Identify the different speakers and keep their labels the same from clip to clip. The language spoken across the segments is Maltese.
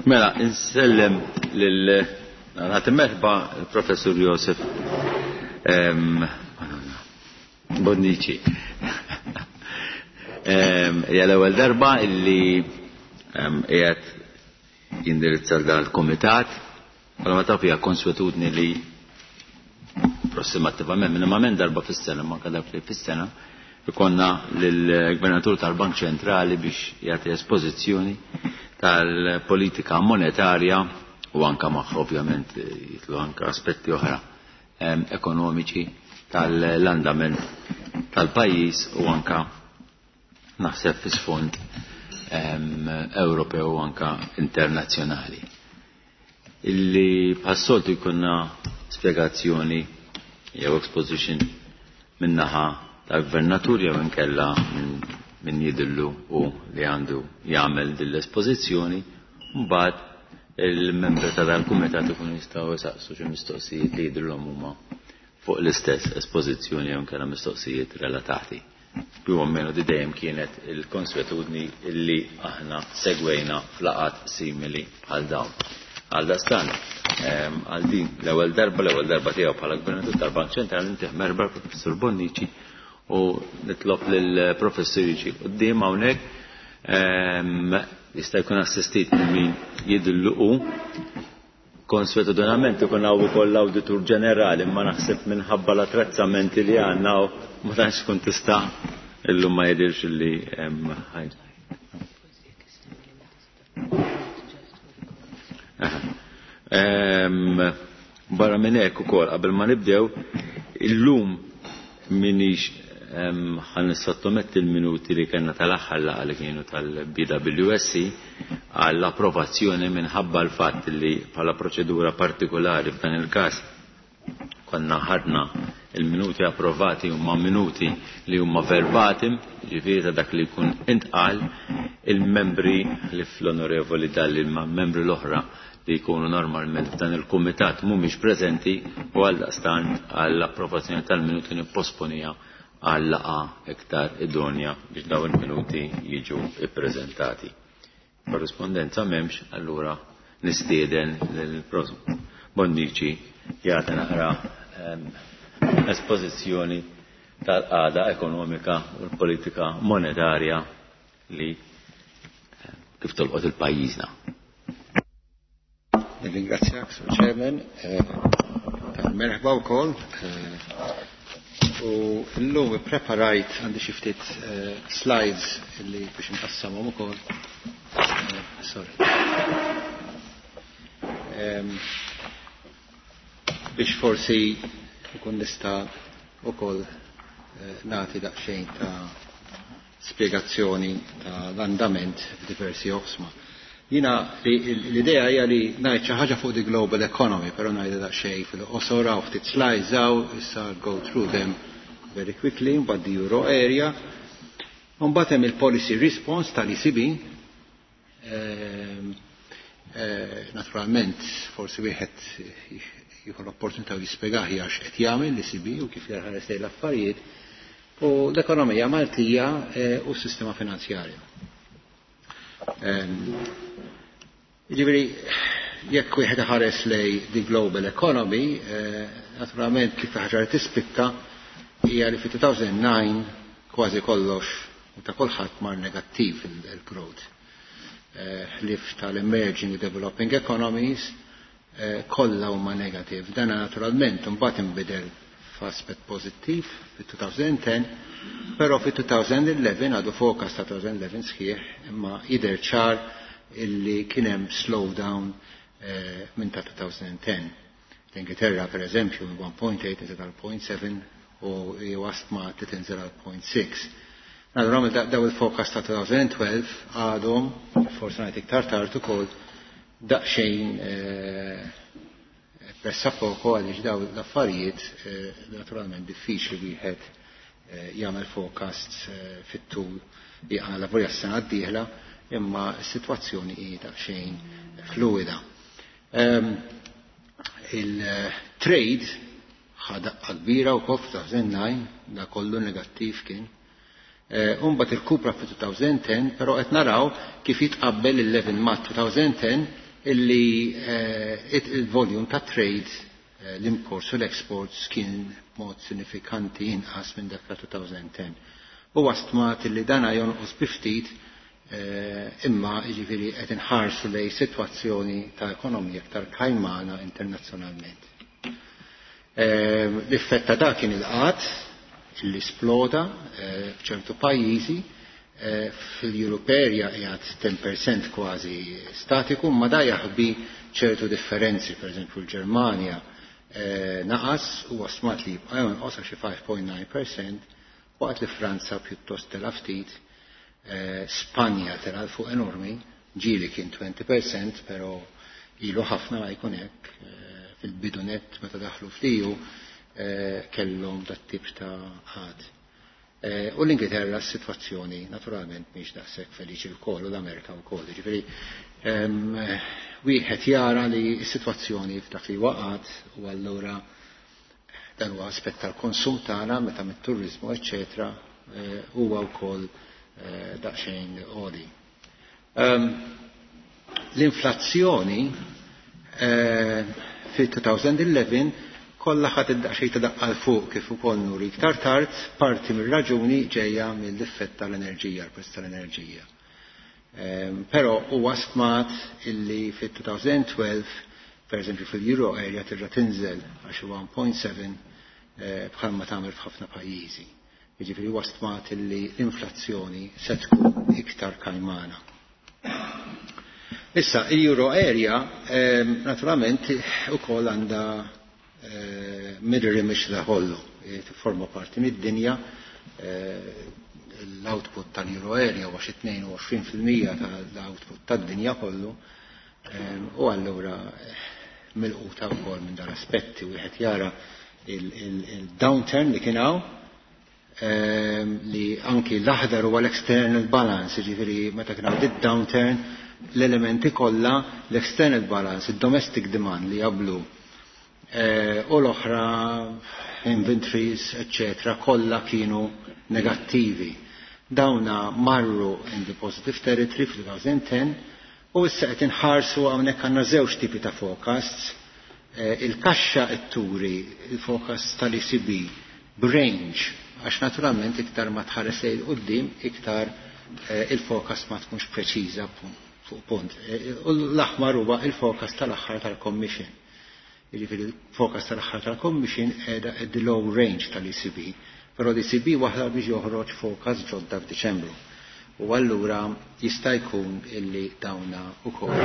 Speaker 1: Mela, insellem lil nagħti merħba l-Professur Josef Bonnici. Hija l-ewwel darba illi qiegħed jindirizza dan il-kumitat. Bħala ma taf hija konswetudni li approssimattivament minimament darba fis-sena, ma dak li fis-sena, ikonna lill-Gvernatur tal-Bank Ċentrali biex jagħti espożizzjoni tal-politika monetarja u anka magħha ovvjament jitlu anka aspetti oħra ekonomiċi tal-andament tal-pajjiż u anka naħseb fi sfond Ewropew u anka internazzjonali. Illi bħas-soltu jkunna spjegazzjoni jew exposition min-naħa tal-gvernatur jew inkella minn jidillu u li għandu jagħmel din l-espożizzjoni, mbagħad il-membri ta' dal-kumitat ikunu jistgħu jsaqsu xi mistoqsijiet li jidhrilhom huma fuq l-istess espożizzjoni jew inkella mistoqsijiet relatati. Più o meno di dejjem kienet il-konswetudni illi aħna segwejna f'laqgħat simili bħal dawn. Għaldaqstant, għal din l-ewwel darba, l-ewwel darba tiegħu bħala Gvernatur tal-Bank Ċentrali ntih merħba l-Professur Bonnici u nitlob lill-Professur jiġi quddiem hawnhekk jista' jkun assistit minn min jidillu hu. Konswetudinament ikun hawn ukoll l-Awditur Ġenerali imma naħseb minħabba l-attrezzamenti li għandna ma tantx tkun tista' illum ma jidhirx li hemm Barra minn hekk ukoll qabel ma nibdew illum minix ħan nissottometti l-minuti li kellna tal-aħħar laqgħa li kienu tal-BWSC għall-approvazzjoni minħabba l-fatt li bħala proċedura partikolari f'dan il-każ konna ħadna il-minuti approvati huma minuti li huma verbatim, ġifieri ta' dak li jkun intqal, il-membri li fl-onorevoli Dalli ma' membri l-oħra li jkunu normalment f'dan il-kumitat mhumiex preżenti u għaldaqstant għall-approvazzjoni tal-minuti nipposponija għal laqgħa iktar idonja biex dawn il-minuti jiġu ippreżentati. Korrispondenza m'hemmx, allura nistieden lill-Prof. Bonnici jagħti naqra espożizzjoni tal-qagħda ekonomika u l-politika monetarja li kif tolqot il-pajjiżna.
Speaker 2: Nirringrazzjak, Sur Chairman, tal-merħba wkoll. U llum ippreparajt għandi xi ftit slides illi biex nqassamhom ukoll. Sorry. Biex forsi nkun nista' ukoll nagħti daqsxejn ta' spjegazzjoni tal-andament f'diversi oqsma. Jina l-idea hija li ngħid xi ħaġa fuq the global economy, però ngħidha daqsxejn fil-qosor hawn ftit slides hawn, issa go through them very quickly, mbagħad the euro area. Mbagħad hemm il-policy response tal-ECB. Naturalment, forsi wieħed jieħu l-opportunità u jispjegah għax qed jagħmel l-ECB u kif jarħares lejn l-affarijiet u l-ekonomija Maltija u s-sistema finanzjarja. Jiġifieri, jekk wieħed iħares lej the global economy, naturalment kif ħaġa li tispikka hija li fi 2009 kważi kollox u ta' kulħadd mar negattiv il-growth. Ħlief tal-emerging developing economies kollha huma negative. Dan naturalment imbagħad inbidel f'aspett pożittiv fi 2010, però fi 2011 għadu forecast ta' 2011 sħiħ, imma jidher ċar illi kien hemm slowdown minn ta' 2010. L-Ingilterra per eżempju minn 1.8 inżel għal 0.7 u wasma titinżel għal 0.6. Naturalment daw il-forecast ta' 2012 għadhom, forsi ngħid iktar tard ukoll, daqsxejn pressa poco għaliex daw l-affarijiet naturalment diffiċli wieħed jagħmel forecast fit-tul jaqala volja s-sena d-dieħla, imma s-sitwazzjoni hi daqsxejn fluida. Il-trade ħa daqqa kbira wkoll f'2009, da kollu negattiv kien. Imbagħad irkupra fi 2010, però qed naraw kif jitqabbel il-11 ma' 2010 illi il-volume ta' trade, l-imports u l-exports, kien mod sinifikanti inqas minn dak ta' 2010. U stmat illi dana jonqos bi ftit, imma jiġifieri qed inħarsu lejn sitwazzjoni ta' ekonomija iktar kajmana internazzjonalment. L-effett ta' dak kien il-qgħad illi sploda f'ċertu pajjiżi. Fil-Europe area qiegħed 10% kważi statiku, ma da jaħbi ċertu differenzi, per eżempju l-Ġermanja naqas u stmat li jibqa' jonqos xi 5.9%, waqt li Franza pjuttost tela ftit, Spanja tela fuq enormi, ġieli kien 20%, pero ilu ħafna ma jkun hekk, fil-bidu nett meta daħlu fl-EU kellhom dat tip ta' qgħad. U l-Ingilterra s-sitwazzjoni naturalment mhix daqshekk feliċi wkoll u l-Amerika wkoll. Ġifieri wieħed jara li s-sitwazzjoni f'dak li waqgħet u allura dan huwa aspett tal-konsum tagħna meta mit-turiżmu eċċetera huwa wkoll daqsxejn għoli. L-inflazzjoni fil-2011 kollha ħadd id-daqsxejn ta' daqqa fuq kif ukoll nuri iktar tard, parti mir-raġuni ġejja mill-effett tal-enerġija, l-prezz tal-enerġija. Però huwa stmat illi fit-2012, per eżempju, fil-Euro area terġa' tinżel għax 1.7, bħalma tagħmel f'ħafna pajjiżi. Jiġifieri huwa stmat illi l-inflazzjoni se tkun iktar kajmana. Issa, il-Euro area naturalment ukoll għandha mirror image da kollu, forma parti mid-dinja, l-output tal-Euro area huwa xi 22% tal-output tad-dinja kollu, u allura milquta wkoll minn dan aspetti. Wieħed jara il-downturn li kien hawn, li anki l-aħdar huwa l-external balance, ġifieri meta kien hawn downturn l-elementi kollha, l-external balance, il-domestic demand li jablu u l-oħra inventories, eccetera, kollha kienu negattivi. Dawna marru in the positive territory fl-2010 u issa qed inħarsu hawnhekk għandna żewġ tipi ta' forecasts. Il-kaxxa qed turi il-forecast tal-ECB b'range, għax naturalment iktar ma tħares lejn quddiem iktar il-forecast ma tkunx preċiża fuq punt. U l-aħmar huwa il-forecast tal-aħħar tal-Commission. Jiġifieri il-forecast tal-aħħar tal-Commission qiegħda at the low range tal-ECB, però l-ECB waħda biex joħroġ forecast ġodda f'Diċembru. U allura jista' jkun illi dawna ukoll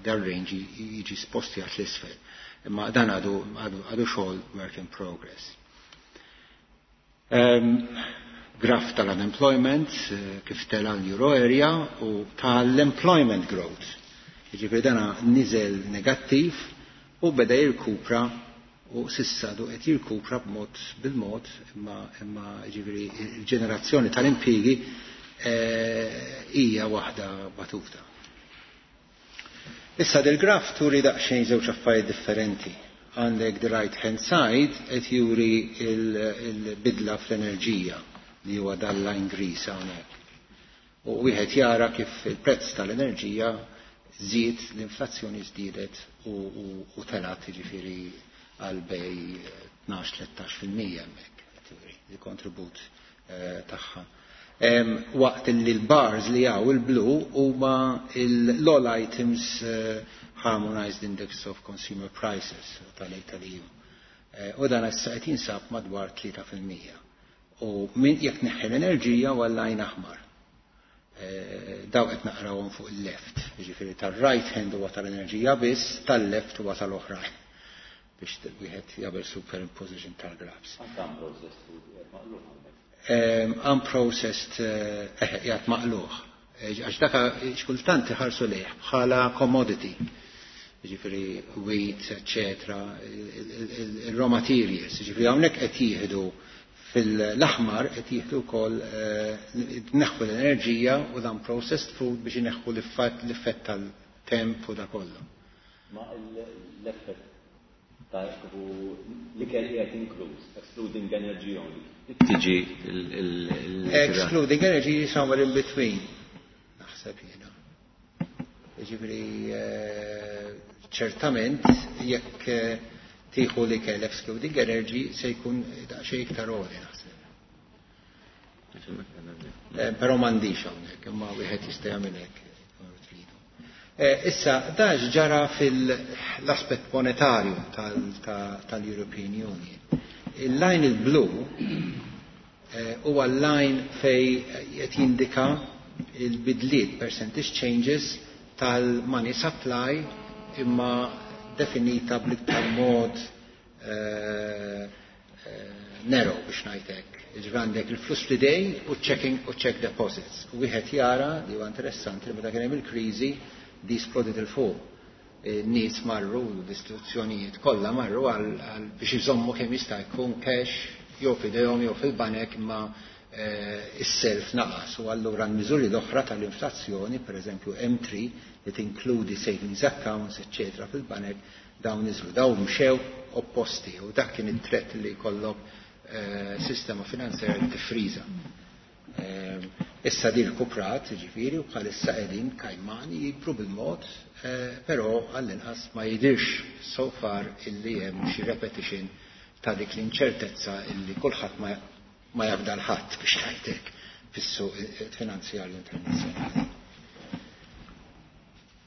Speaker 2: dar range jiġi sposti għat l-isfel. Imma dan għadu xogħol work in progress. Graf tal-unemployment, kif tela l-Euro area u tal-employment growth. Jiġifieri dana niżel negattiv u beda jirkupra u s'issa du qed jirkupra b'mod bil-mod, imma jiġifieri il-ġenerazzjoni tal-impjiegi hija waħda batuta. Issa del-graf turi daqsxejn żewġ affarijiet differenti. Għandek the right hand side qed juri il-bidla fl-enerġija li huwa dal-line gris hawnhekk. U wieħed jara kif il-prezz tal-enerġija żied, l-inflazzjoni żdiedet u telat jiġifieri għal bejn 12-13% hemmhekk il-kontribut tagħha. Waqt li l-bars li hawn il-blu huma l-all items Harmonized Index of Consumer Prices tal-EU. U dan issa qed jinsab madwar 3%. U min jekk neħħi l-enerġija huwa l-line aħmar. Daw qed naqrawhom fuq il-left, jiġifieri tal-right hand huwa tal-enerġija biss, tal-left huwa tal-oħrajn biex wieħed jagħmel superimposition tal-graphs. Unprocessed jgħat maqluħ. Għax daka xkultant iħarsu lejh bħala commodity. Ġifieri wheat, eccetera, il-raw materials. Ġifieri hawnhekk qed jieħdu fil-aħmar qed jieħdu wkoll neħħu l-enerġija u dan processed food biex ineħħu l-effett tal-temp u da kollu.
Speaker 1: Ma l-effett Ta' l-ikel qiegħed inkluż, excluding energy only. Tiġi il-
Speaker 2: Excluding energy, somewhere in between. Naħseb jiena. Ġifieri ċertament jekk tieħu l-ikel excluding energy se jkun daqsxejn iktar għoli, naħseb. Però m'għandix hawnhekk, imma wieħed jista' jagħmel hekk tridu. Issa, da ġara fil-aspett monetarju tal-European Union. Il-line il-blu huwa l-line fej qed jindika il-bidliet, percentage changes tal-money supply, imma definita bl-iktar mod narrow, biex ngħidlek. Ġifieri għandek il-flus fl-idejn u checking u check deposits. U wieħed jara li huwa interessanti li meta kien hemm il-kriżi di splodit 'il fuq. Nies marru, l-istituzzjonijiet kollha marru għal biex iżommu kemm jista' jkun cash jew f'idejhom jew fil-banek, imma is-self naqas, u allura l-miżuri l-oħra tal-inflazzjoni, per eżempju M3 li tinkludi savings accounts, eccetera, fil-banek, dawn niżlu, dawn mxew opposti, u dak kien it-threat li jkollok sistema finanzjarja li tifriża. Issa din rkuprat, ġifieri, u bħalissa qegħdin kajmani jikbru bil-mod, però għall-inqas ma jidirx so far illi hemm xi repetition ta' dik l-inċertezza illi kulħadd ma jafda l-ħadd, biex ngħidlek, fis-suq finanzjarju internazzjonali.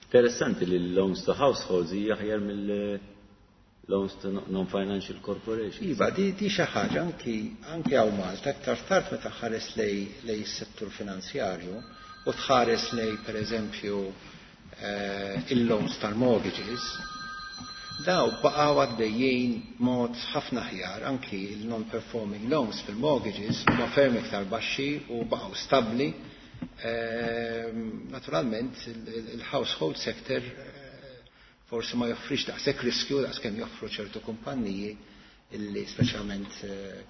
Speaker 1: Interessanti li l-loans to households hija aħjar mill-loans to non-financial corporations.
Speaker 2: Iva, di xi ħaġa anki hawn Malta, aktar tard meta ħares lej s-settur finanzjarju u tħares lej pereżempju il-loans tal-mortgages, daw baqgħu għaddejjin mod ħafna aħjar. Anki il-non-performing loans fil-mortgages huma ferm iktar baxxi u baqgħu stabbli. Naturalment il-household sector forsi ma joffrix daqshekk riskju daqs kemm joffru ċertu kumpanniji illi speċjalment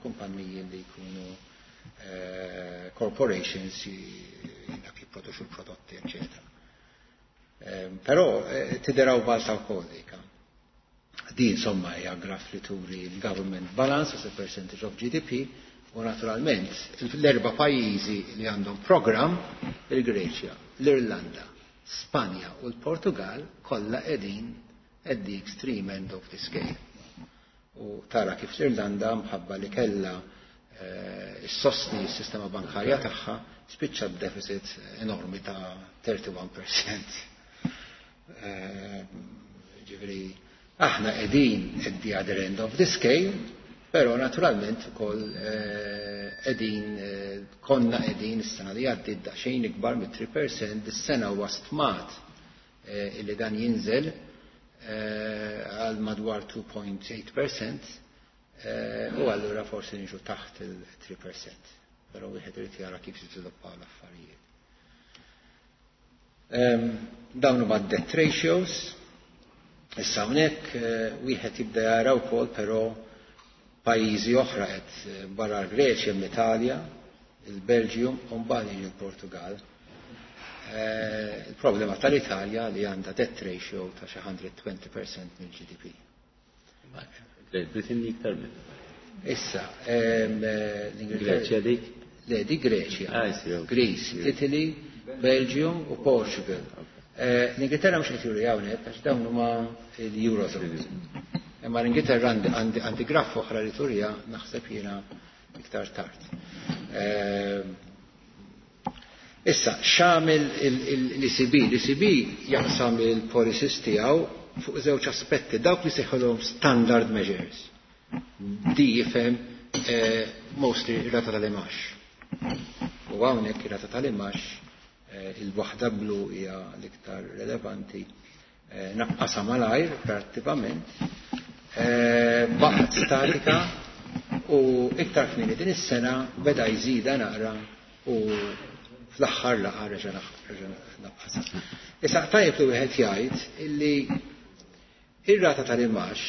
Speaker 2: kumpanniji li jkunu corporations dak jipproduċu l-prodotti, eccetera. Però tideraw balta wkoll dika. Di insomma hija graf li turi l-government balance as a percentage of GDP, u naturalment l-erba' pajjiżi li għandhom program, il-Greċja, l-Irlanda, Spanja u l-Portugal, kollha qegħdin at the extreme end of the scale. U tara kif l-Irlanda, mħabba li kella issostni s-sistema bankarja tagħha, spiċċa deficit enormi ta' 31%. Ġifieri, aħna qegħdin at the other end of the scale, però naturalment ukoll qegħdin konna qegħdin is-sena li għaddiet daqsxejn ikbar mit-3%, is-sena huwa stmat illi dan jinżel għal madwar 2.8%, u allura forsi niġu taħt il-3%. Però wieħed irid jara kif jiżviluppaw l-affarijiet. Dawn huma debt ratios. Issa hawnhekk wieħed jibda jara wkoll però pajjiżi oħra qed barra l-Greċja, l-Italja, il-Belġium u mbagħad jiġi l-Portugal. Il-problema tal-Italja li għandha debt ratio ta' xi 120% mill-GDP.
Speaker 1: Great Britain iktar minn.
Speaker 2: Issa, l-Ingilterra.
Speaker 1: Greċja dik?
Speaker 2: Le, di Greċja.
Speaker 1: Ah, sì, ok.
Speaker 2: Greece, Italy, Belgium u Portugal. L-Ingilterra mhux qed juri hawnhekk għax dawn huma l-Eurozone. Imma l-Ingilterra għandi graf oħra li turija naħseb jiena iktar tard. Issa, x'għamel l-ECB? L-ECB jaqsam il-policies tiegħu fuq żewġ aspetti, dawk li sejħulhom standard measures. Di jifhem mostly ir-rata tal-imgħax. U hawnhekk ir-rata tal-imgħax, il-waħda blu hija l-iktar relevanti, naqqasha malajr relattivament, baqgħet statika u iktar kmieni din is-sena beda jżida naqra u fl-aħħar laqgħa reġa' naqqasha. Issa tajjeb li wieħed jgħid illi ir-rata tal-imgħax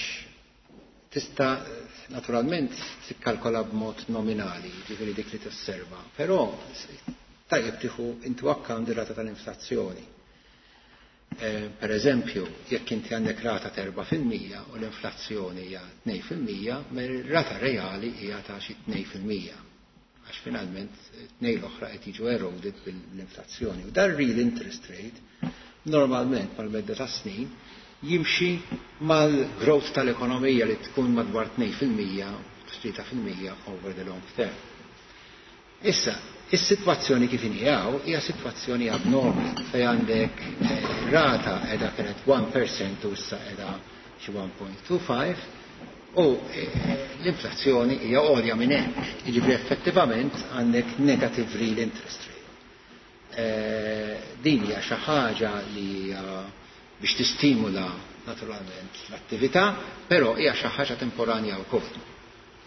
Speaker 2: tista' naturalment tikkalkola b'mod nominali, ġifieri dik li tosserva, però tajjeb tieħu into account ir-rata tal-inflazzjoni. Per eżempju, jekk inti għandek rata ta' 4% u l-inflazzjoni hija 2%, rata reali hija ta' xi 2%. Għax finalment tnej l-oħra qed jiġu eroded bil-inflazzjoni. U dan real interest rate normalment mal-medda ta' snin jimxi mal-growth tal-ekonomija li tkun madwar 2%, 3% over the long term. Issa, is-sitwazzjoni kif inhi hawn hija sitwazzjoni abnormali fejn għandek rata qiegħda kienet 1% u issa qiegħda xi 1.25 u l-inflazzjoni hija għolja minn hekk. Jiġifieri effettivament għandek negative real interest rate. Din hija xi ħaġa li hija biex tistimula naturalment l-attività, però hija xi ħaġa temporanja wkoll.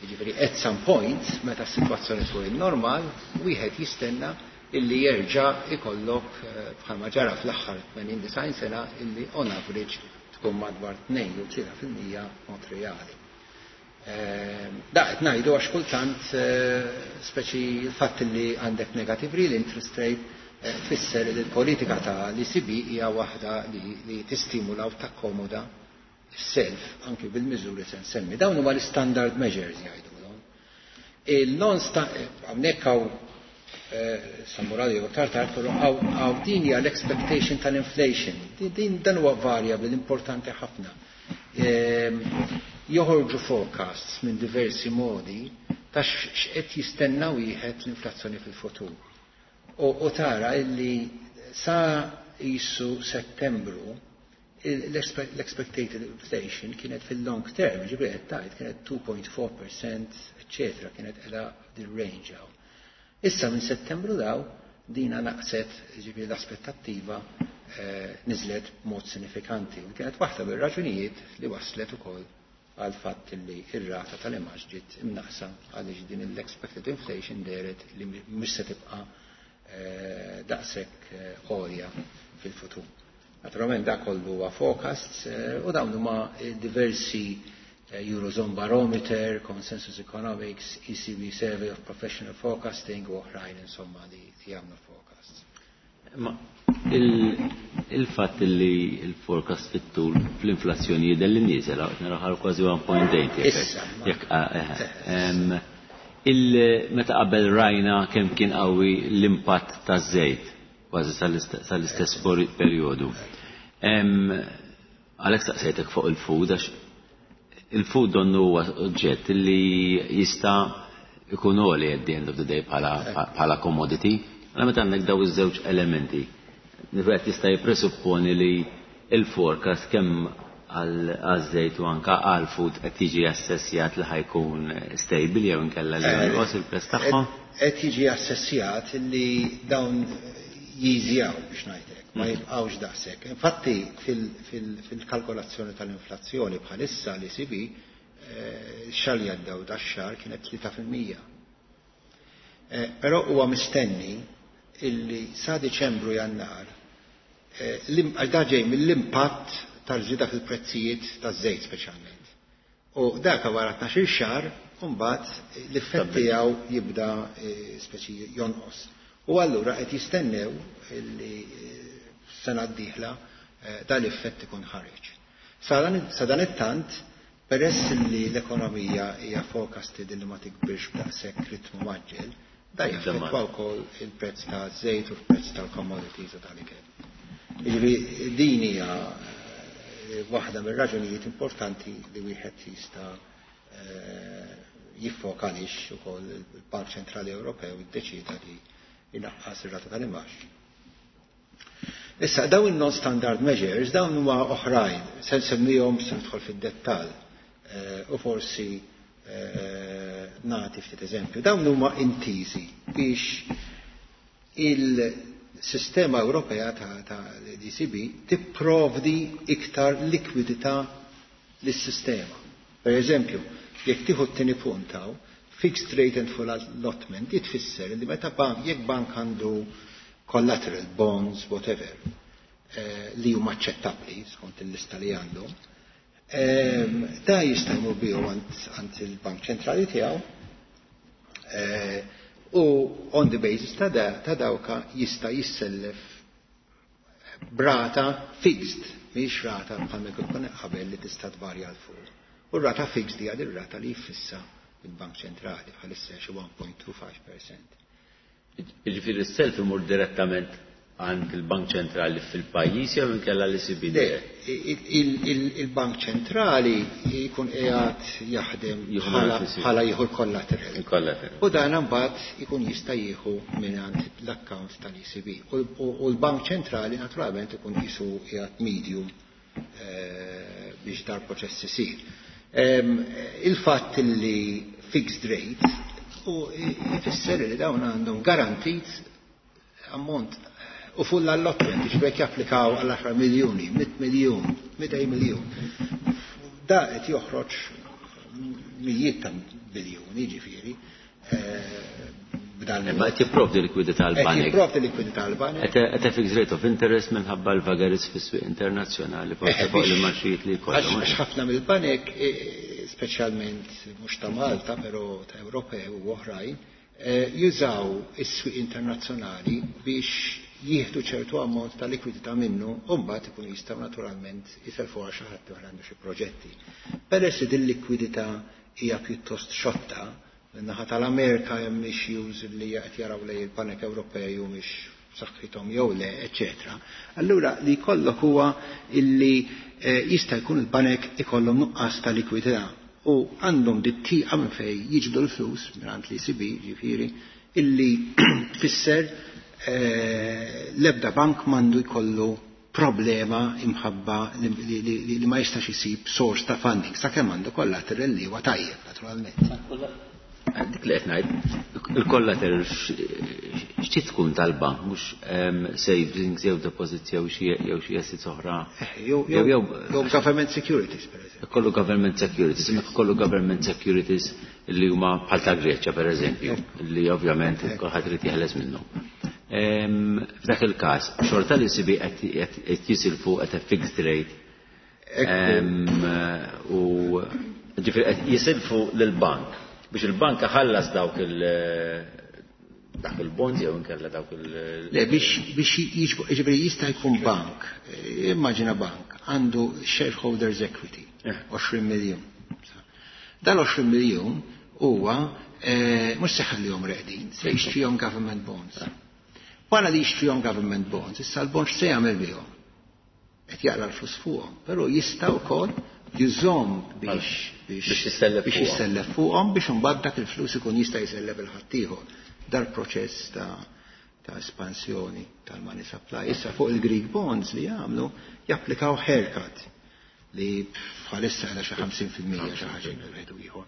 Speaker 2: Jiġifieri at some point, meta s-sitwazzjoni tkun normal, wieħed jistenna illi jerġa' ikollok bħalma ġara fl-aħħar 80 sena illi on average tkun madwar 2 jew 3% mod reali. Da qed ngħidu għax kultant speċi l-fatt li għandek negative real interest rate tfisser li l-politika ta' l-ECB hija waħda li tistimula u takkomoda self anki bil-miżuri se nsemmi. Dawn huma l-standard measures jgħidulhom. Il-non hawnhekk hawn sammurali jew tard però hawn din hija l-expectation tal-inflation. Din dan huwa variable importanti ħafna. Joħorġu forecasts minn diversi modi ta' x'qed jistenna wieħed l-inflazzjoni fil-futur. U tara illi sa jisu Settembru l-expected inflation kienet fil-long term, ġifieri qed tgħid kienet 2.4%, eccetera, kienet qiegħda din range hawn. Issa minn Settembru daw dina naqset, ġifieri l-aspettattiva niżlet b'mod sinifikanti. U kienet waħda mir-raġunijiet li waslet ukoll għal fatt li ir-rata tal-imgħax ġiet imnaqsa għaliex din l-expected inflation dehret li mhux se tibqa' daqshekk għolja fil-futur. Naturalment da kollu huwa forecasts u dawn huma diversi Eurozone Barometer, Consensus Economics, ECB Survey of Professional Forecasting u oħrajn insomma li jagħmlu forecasts.
Speaker 1: Ma il-fatt li il-forecast fit-tul fl-inflazzjoni jidher li nieżel qed naraw kważi 1.8
Speaker 2: Issa.
Speaker 1: Jekk meta qabel rajna kemm kien qawwi l-impatt taż-żejt kważi sal-istess perjodu. Għalhekk staqsejtek fuq il-food għax il-food donnu huwa oġġett li jista' ikun għoli at the end of the day bħala commodity. Għala meta għandek daw iż-żewġ elementi, wieħed jista' jippresupponi li il-forecast kemm għaż-żejt u anka għal-food qed jiġi assessjat li ħa jkun stable jew inkella li jonqos il-prezz tagħhom?
Speaker 2: Qed jiġi assessjat li dawn jiżjaw biex ngħidlek, ma jibqgħux daqshekk. Infatti fil-kalkolazzjoni tal-inflazzjoni bħalissa l-ECB xahar li għaddew dax-xahar kienet 3%. Però huwa mistenni illi sa Diċembru Jannar għax da ġej mill-impatt tal-żieda fil-prezzijiet taż-żejt speċjalment. U dak wara 12 xahar mbagħad l-effett tiegħu jibda speċi jonqos. U allura qed jistennew illi sena d-dieħla dal-effett ikun ħareġ. Sa dan it-tant, peress li l-ekonomija hija forecasted li ma tikbirx b'daqshekk ritmu mgħaġġel, da jaffettwa wkoll il-prezz ta' żejt u l-prezz tal-commodities u tal-ikel. Jiġifieri din hija waħda mir-raġunijiet importanti li wieħed jista' jiffoka għaliex ukoll il-Bank Ċentrali Ewropew iddeċida li jnaqqas ir-rata tal-imgħax. Issa, dawn il-non-standard measures, dawn huma oħrajn, se nsemmihom se nidħol fid-dettall u forsi nagħti ftit eżempju. Dawn huma intiżi biex il-sistema Ewropea ta' l-ECB tipprovdi iktar likwidità lis-sistema. Per eżempju, jekk tieħu t-tieni punt hawn, fixed rate and full allotment, jitfisser li meta bank, jekk bank għandu collateral, bonds, whatever, li huma aċċettabbli skont il-lista li għandhom, da jista' jmur bihom għand il-Bank Ċentrali tiegħu u on the basis ta' dawka jista' jissellef B'rata fixed, mhix rata bħalma jkun qabel li tista' tvarja 'l fuq. U r-rata fixed hija r-rata li jfissa il-Bank Ċentrali, bħalissa xi 1.25%.
Speaker 1: Jiġifieri s-self imur direttament għand il-Bank Ċentrali fil-pajjiż jew inkella l-ECB?
Speaker 2: Le, il-Bank Ċentrali jkun qiegħed jaħdem bħala jieħu l-collateral.
Speaker 1: Il-collateral.
Speaker 2: U dan imbagħad ikun jista' jieħu mingħand l-account tal-ECB. U l-Bank Ċentrali naturalment ikun qisu qiegħed medium biex dal-proċess isir. Il-fatt li fixed rate u jfisser li dawn għandhom garantit ammont u full allotment, ġbek japplikaw għal 10 miljoni, 100 miljun, 200 miljun. Da qed joħroġ mijiet ta' biljuni, ġifieri, b'dan.
Speaker 1: Ma qed jipprovdi likwidità għal banek.
Speaker 2: Qed jipprovdi likwidità għal banek.
Speaker 1: Qed fixed rate of interest minħabba l-vagaries fis-swieq internazzjonali, forsi fuq l-imgħaxijiet li jkollhom.
Speaker 2: Għax ħafna mill-banek, speċjalment mhux ta' Malta, però ta' Ewropew u oħrajn, jużaw is-swieq internazzjonali biex jieħdu ċertu ammont ta' likwidità minnu u mbagħad ikunu jistgħu naturalment jiselfu għal xi ħadd għandu xi proġetti. Peress li din likwidità hija pjuttost xotta, min-naħa tal-Amerika hemm issues li qed jaraw lej il-Banek Ewropej u mhix b'saħħithom jew le, eċetera. Allura li jkollok huwa illi jista' jkun il-banek ikollhom nuqqas ta' likwidità u għandhom dit-tieqa minn fejn jiġbdu l-flus mingħand l-ECB, ġifieri, illi tfisser l-ebda bank mandu jkollu problema imħabba li ma jistax isib source ta' funding, sakemm għandu collateral li huwa tajjeb, naturalment.
Speaker 1: Dik li qed ngħid, il-collateral xi tkun tal-bank, mhux savings jew deposits jew xi assets oħra.
Speaker 2: Jew government securities, per eżempju.
Speaker 1: Kollu government securities, imma kollu government securities li huma bħal ta' Greċja, per eżempju, li ovvjament kulħadd irid jeħles minnhom. F'dak il-każ, xorta li ECB qed jisilfu at a fixed rate. U ġifieri qed jisilfu lill-bank biex il-bank ħallas dawk dak il-bonds jew inkella dawk il-
Speaker 2: Le, biex jiġbru, jista' jkun bank, immaġina bank, għandu shareholders equity, 20 miljun. Dan 20 miljun huwa mhux se jħallihom reqdin, se jixtrihom government bonds. Wara li jixtrihom government bonds, issa l-bonds se jagħmel bihom. Qed jaqla l-flus fuqhom, però jista' wkoll jużhom
Speaker 1: biex jissellef
Speaker 2: biex jissellef fuqhom biex imbagħad dak il-flus ikun jista' jsellef il-ħaddieħor. Dal-proċess ta' espansjoni tal-money supply. Issa fuq il-Greek bonds li jagħmlu japplikaw haircut li bħalissa għala xi 50% xi ħaġa wieħed u ieħor.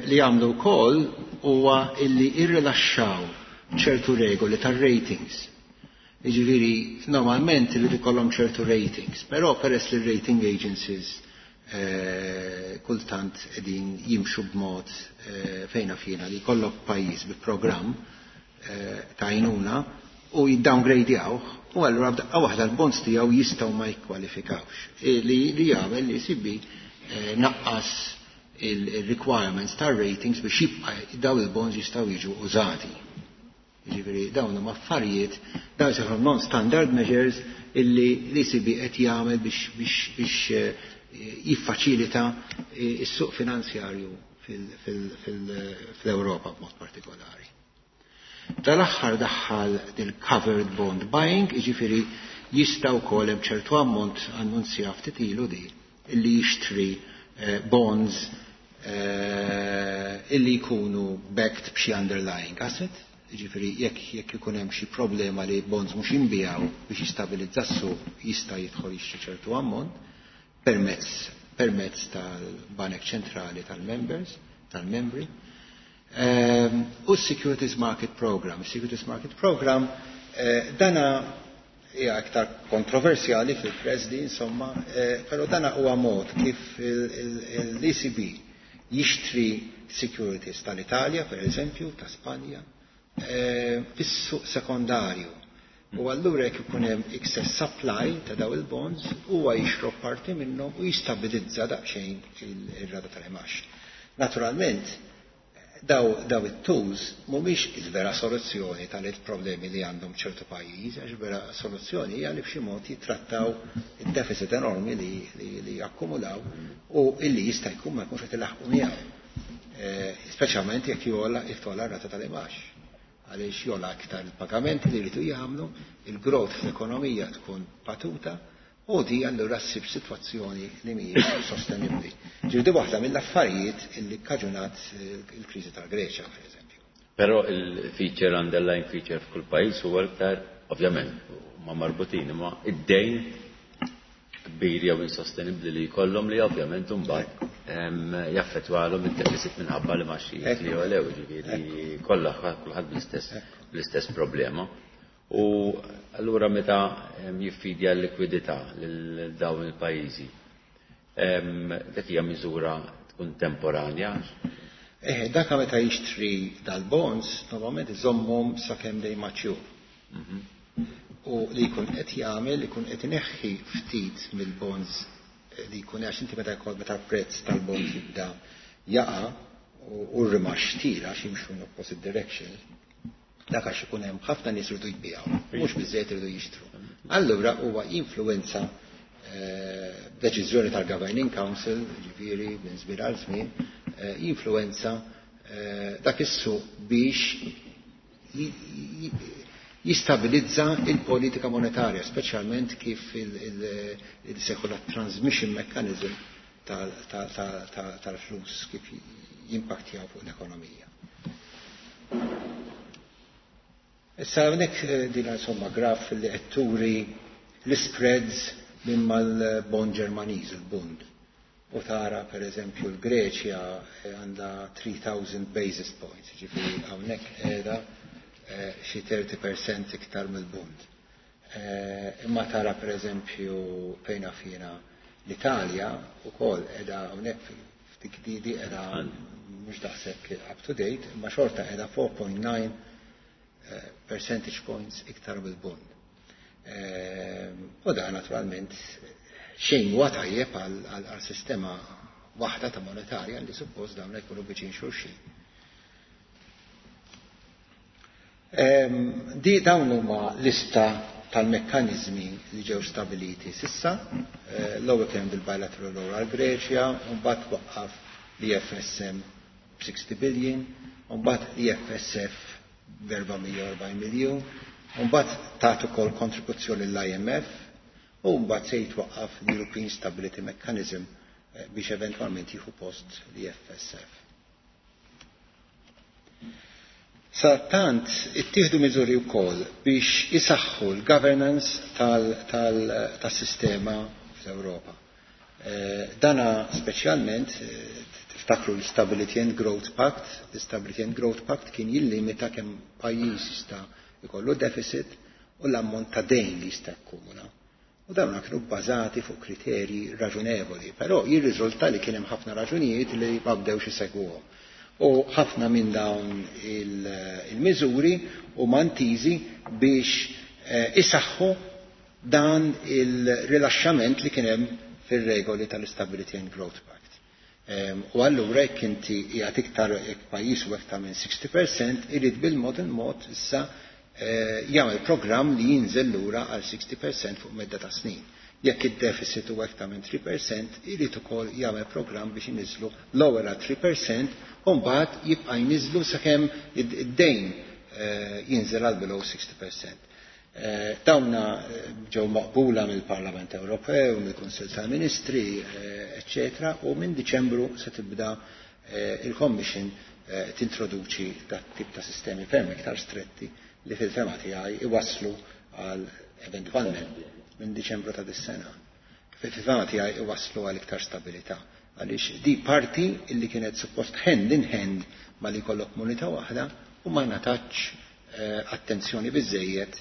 Speaker 2: Li jagħmlu wkoll huwa illi irrilaxxaw ċertu regoli tar-ratings. Jiġifieri normalment irid ikollhom ċertu ratings, però peress li rating agencies kultant qegħdin jimxu b'mod fejna fjena li jkollok pajjiż bi programm ta' għajnuna u jiddowngradejaw u allura b'daqqa waħda l-bonds tiegħu jistgħu ma jikkwalifikawx. Li jagħmel li ECB naqqas il-requirements tar-ratings biex jibqa' daw il-bonds jistgħu jiġu użati. Jiġifieri dawn huma affarijiet, dawn jsejħu non-standard measures illi l-ECB qed jagħmel biex jiffaċilita s-suq finanzjarju fl-Ewropa b'mod partikolari. Dal-aħħar daħħal il-covered bond buying, jiġifieri jista' wkoll hemm ċertu ammont, annunzja ftit ilu di, illi jixtri bonds illi jkunu backed b'xi underlying asset, jiġifieri jekk ikun hemm xi problema li bonds mhux jinbiegħu biex jistabilizza s-suq, jista' jidħol jixtri ċertu ammont permezz tal-Banek Ċentrali tal-members, tal-membri. U s-Securities Market Program. Securities Market Program dana hija aktar kontroversjali fil-press di, insomma, però dana huwa mod kif l-ECB jixtri securities tal-Italja, per eżempju, ta' Spanja, fis-suq sekondarju. U allura jekk ikun hemm excess supply ta' daw il-bonds, huwa jixrob parti minnhom u jistabilizza daqsxejn ir-rata tal-imgħax. Naturalment, Daw it-tools mhumiex il-vera soluzzjoni tal-problemi li għandhom ċertu pajjiż, għax vera soluzzjoni hija li b'xi mod jittrattaw id-deficit enormi li akkumulaw u illi jista' jkun ma jkunx qed ilaħqu miegħu. Speċjalment jekk jogħla jogħla r-rata tal-imgħax. Għaliex jogħla aktar il-pagamenti li jridu jagħmlu, il-growth fl-ekonomija tkun batuta, u di allura ssib sitwazzjoni li mhijiex sostenibbli. Ġifieri waħda mill-affarijiet illi kkaġunat il-kriżi tal-Greċja, per eżempju.
Speaker 1: Però il-feature, underlying feature f'kull pajjiż huwa iktar, ovvjament, ma marbutin, ma id-dejn kbir jew insostenibbli li jkollhom li ovvjament imbagħad jaffettwalhom id-deficit minħabba li imgħaxijiet li jogħlew, ġifieri kollha kulħadd bl-istess problema. U allura meta jiffidja l-likwidità lil dawn il-pajjiżi, dak hija miżura tkun temporanja?
Speaker 2: Dak meta jixtri dal-bonds, normalment iżommhom sakemm they mature. U li jkun qed jagħmel, jkun qed ineħħi ftit mill-bonds li jkun, għax inti meta jkun meta prezz tal-bonds jibda jaqa' u r-rimax tira għax jimxu in opposite direction, dak għax ikun hemm ħafna nies iridu jbigħu, mhux biżejjed iridu jixtru. Allura huwa influenza deċiżjoni tal-Governing Council, ġifieri minn żmien għal żmien, influenza dak is-suq biex jistabilizza il-politika monetarja, speċjalment kif il-secular transmission mechanism tal-flus kif jimpaktjaw fuq l-ekonomija. Issa hawnhekk din insomma graf li qed turi l-spreads minn mal-bond Ġermaniż, il-Bund. U tara per eżempju l-Greċja għandha 3000 basis points, ġifieri hawnhekk qiegħda xi 30% iktar mill-Bund. Imma tara per eżempju fejna fina l-Italja ukoll qiegħda hawnhekk ftik didi qiegħda mhux daqshekk up to date, imma xorta qiegħda 4.9 percentage points iktar mill-Bund. U da naturalment xejn huwa tajjeb għal sistema waħda ta' monetarja li suppost dawn jkunu viċin xulxin. Di dawn huma lista tal-mekkanizmi li ġew stabiliti sissa. L-ewwel kien bil-bilateral loan għal Greċja, u mbagħad waqqaf l-EFSM b'60 billion, u mbagħad l-EFSF b'440 miljun, u mbagħad tat ukoll kontribuzzjoni l-IMF, u mbagħad se jitwaqqaf l-European Stability Mechanism biex eventwalment jieħu post l-EFSF. Sadanittant ittieħdu miżuri wkoll biex isaħħu l-governance tas-sistema fl-Ewropa. Dana speċjalment tiftakru l-Stability and Growth Pact. L-Stability and Growth Pact kien jillimita kemm pajjiż jista' jkollu deficit u l-ammont ta' dejn li jista' jakkumula. U dawn kienu bbażati fuq kriterji raġunevoli, però jirriżulta li kien hemm ħafna raġunijiet li ma bdewx isegwuhom. U ħafna minn dawn il-miżuri huma intiżi biex isaħħu dan il-rilaxxament li kien hemm fir-regoli tal-Stability and Growth Pact. U allura jekk inti qiegħed iktar jekk pajjiż u iktar minn 60% irid bil-mod il-mod issa jagħmel programm li jinżel lura għal 60% fuq medda ta' snin. Jekk id-deficit huwa iktar minn 3%, irid ukoll jagħmel programm biex iniżlu l-ewwel għal 3% u mbagħad jibqa' jniżlu sakemm id-dejn jinżel għal below 60%. Dawna ġew maqbula mill-Parlament Ewropew, mill-Kunsill tal-Ministri, eccetera, u minn Diċembru se tibda il-Commission tintroduċi dat tip ta' sistemi ferm iktar stretti li fil-fehma tiegħi iwasslu għal eventwalment minn Diċembru ta' dis-sena. Fil-fehma tiegħi iwasslu għal iktar stabilità. Għaliex di parti illi kienet suppost hand in hand ma li jkollok munita waħda u ma ngħatatx attenzjoni biżejjed,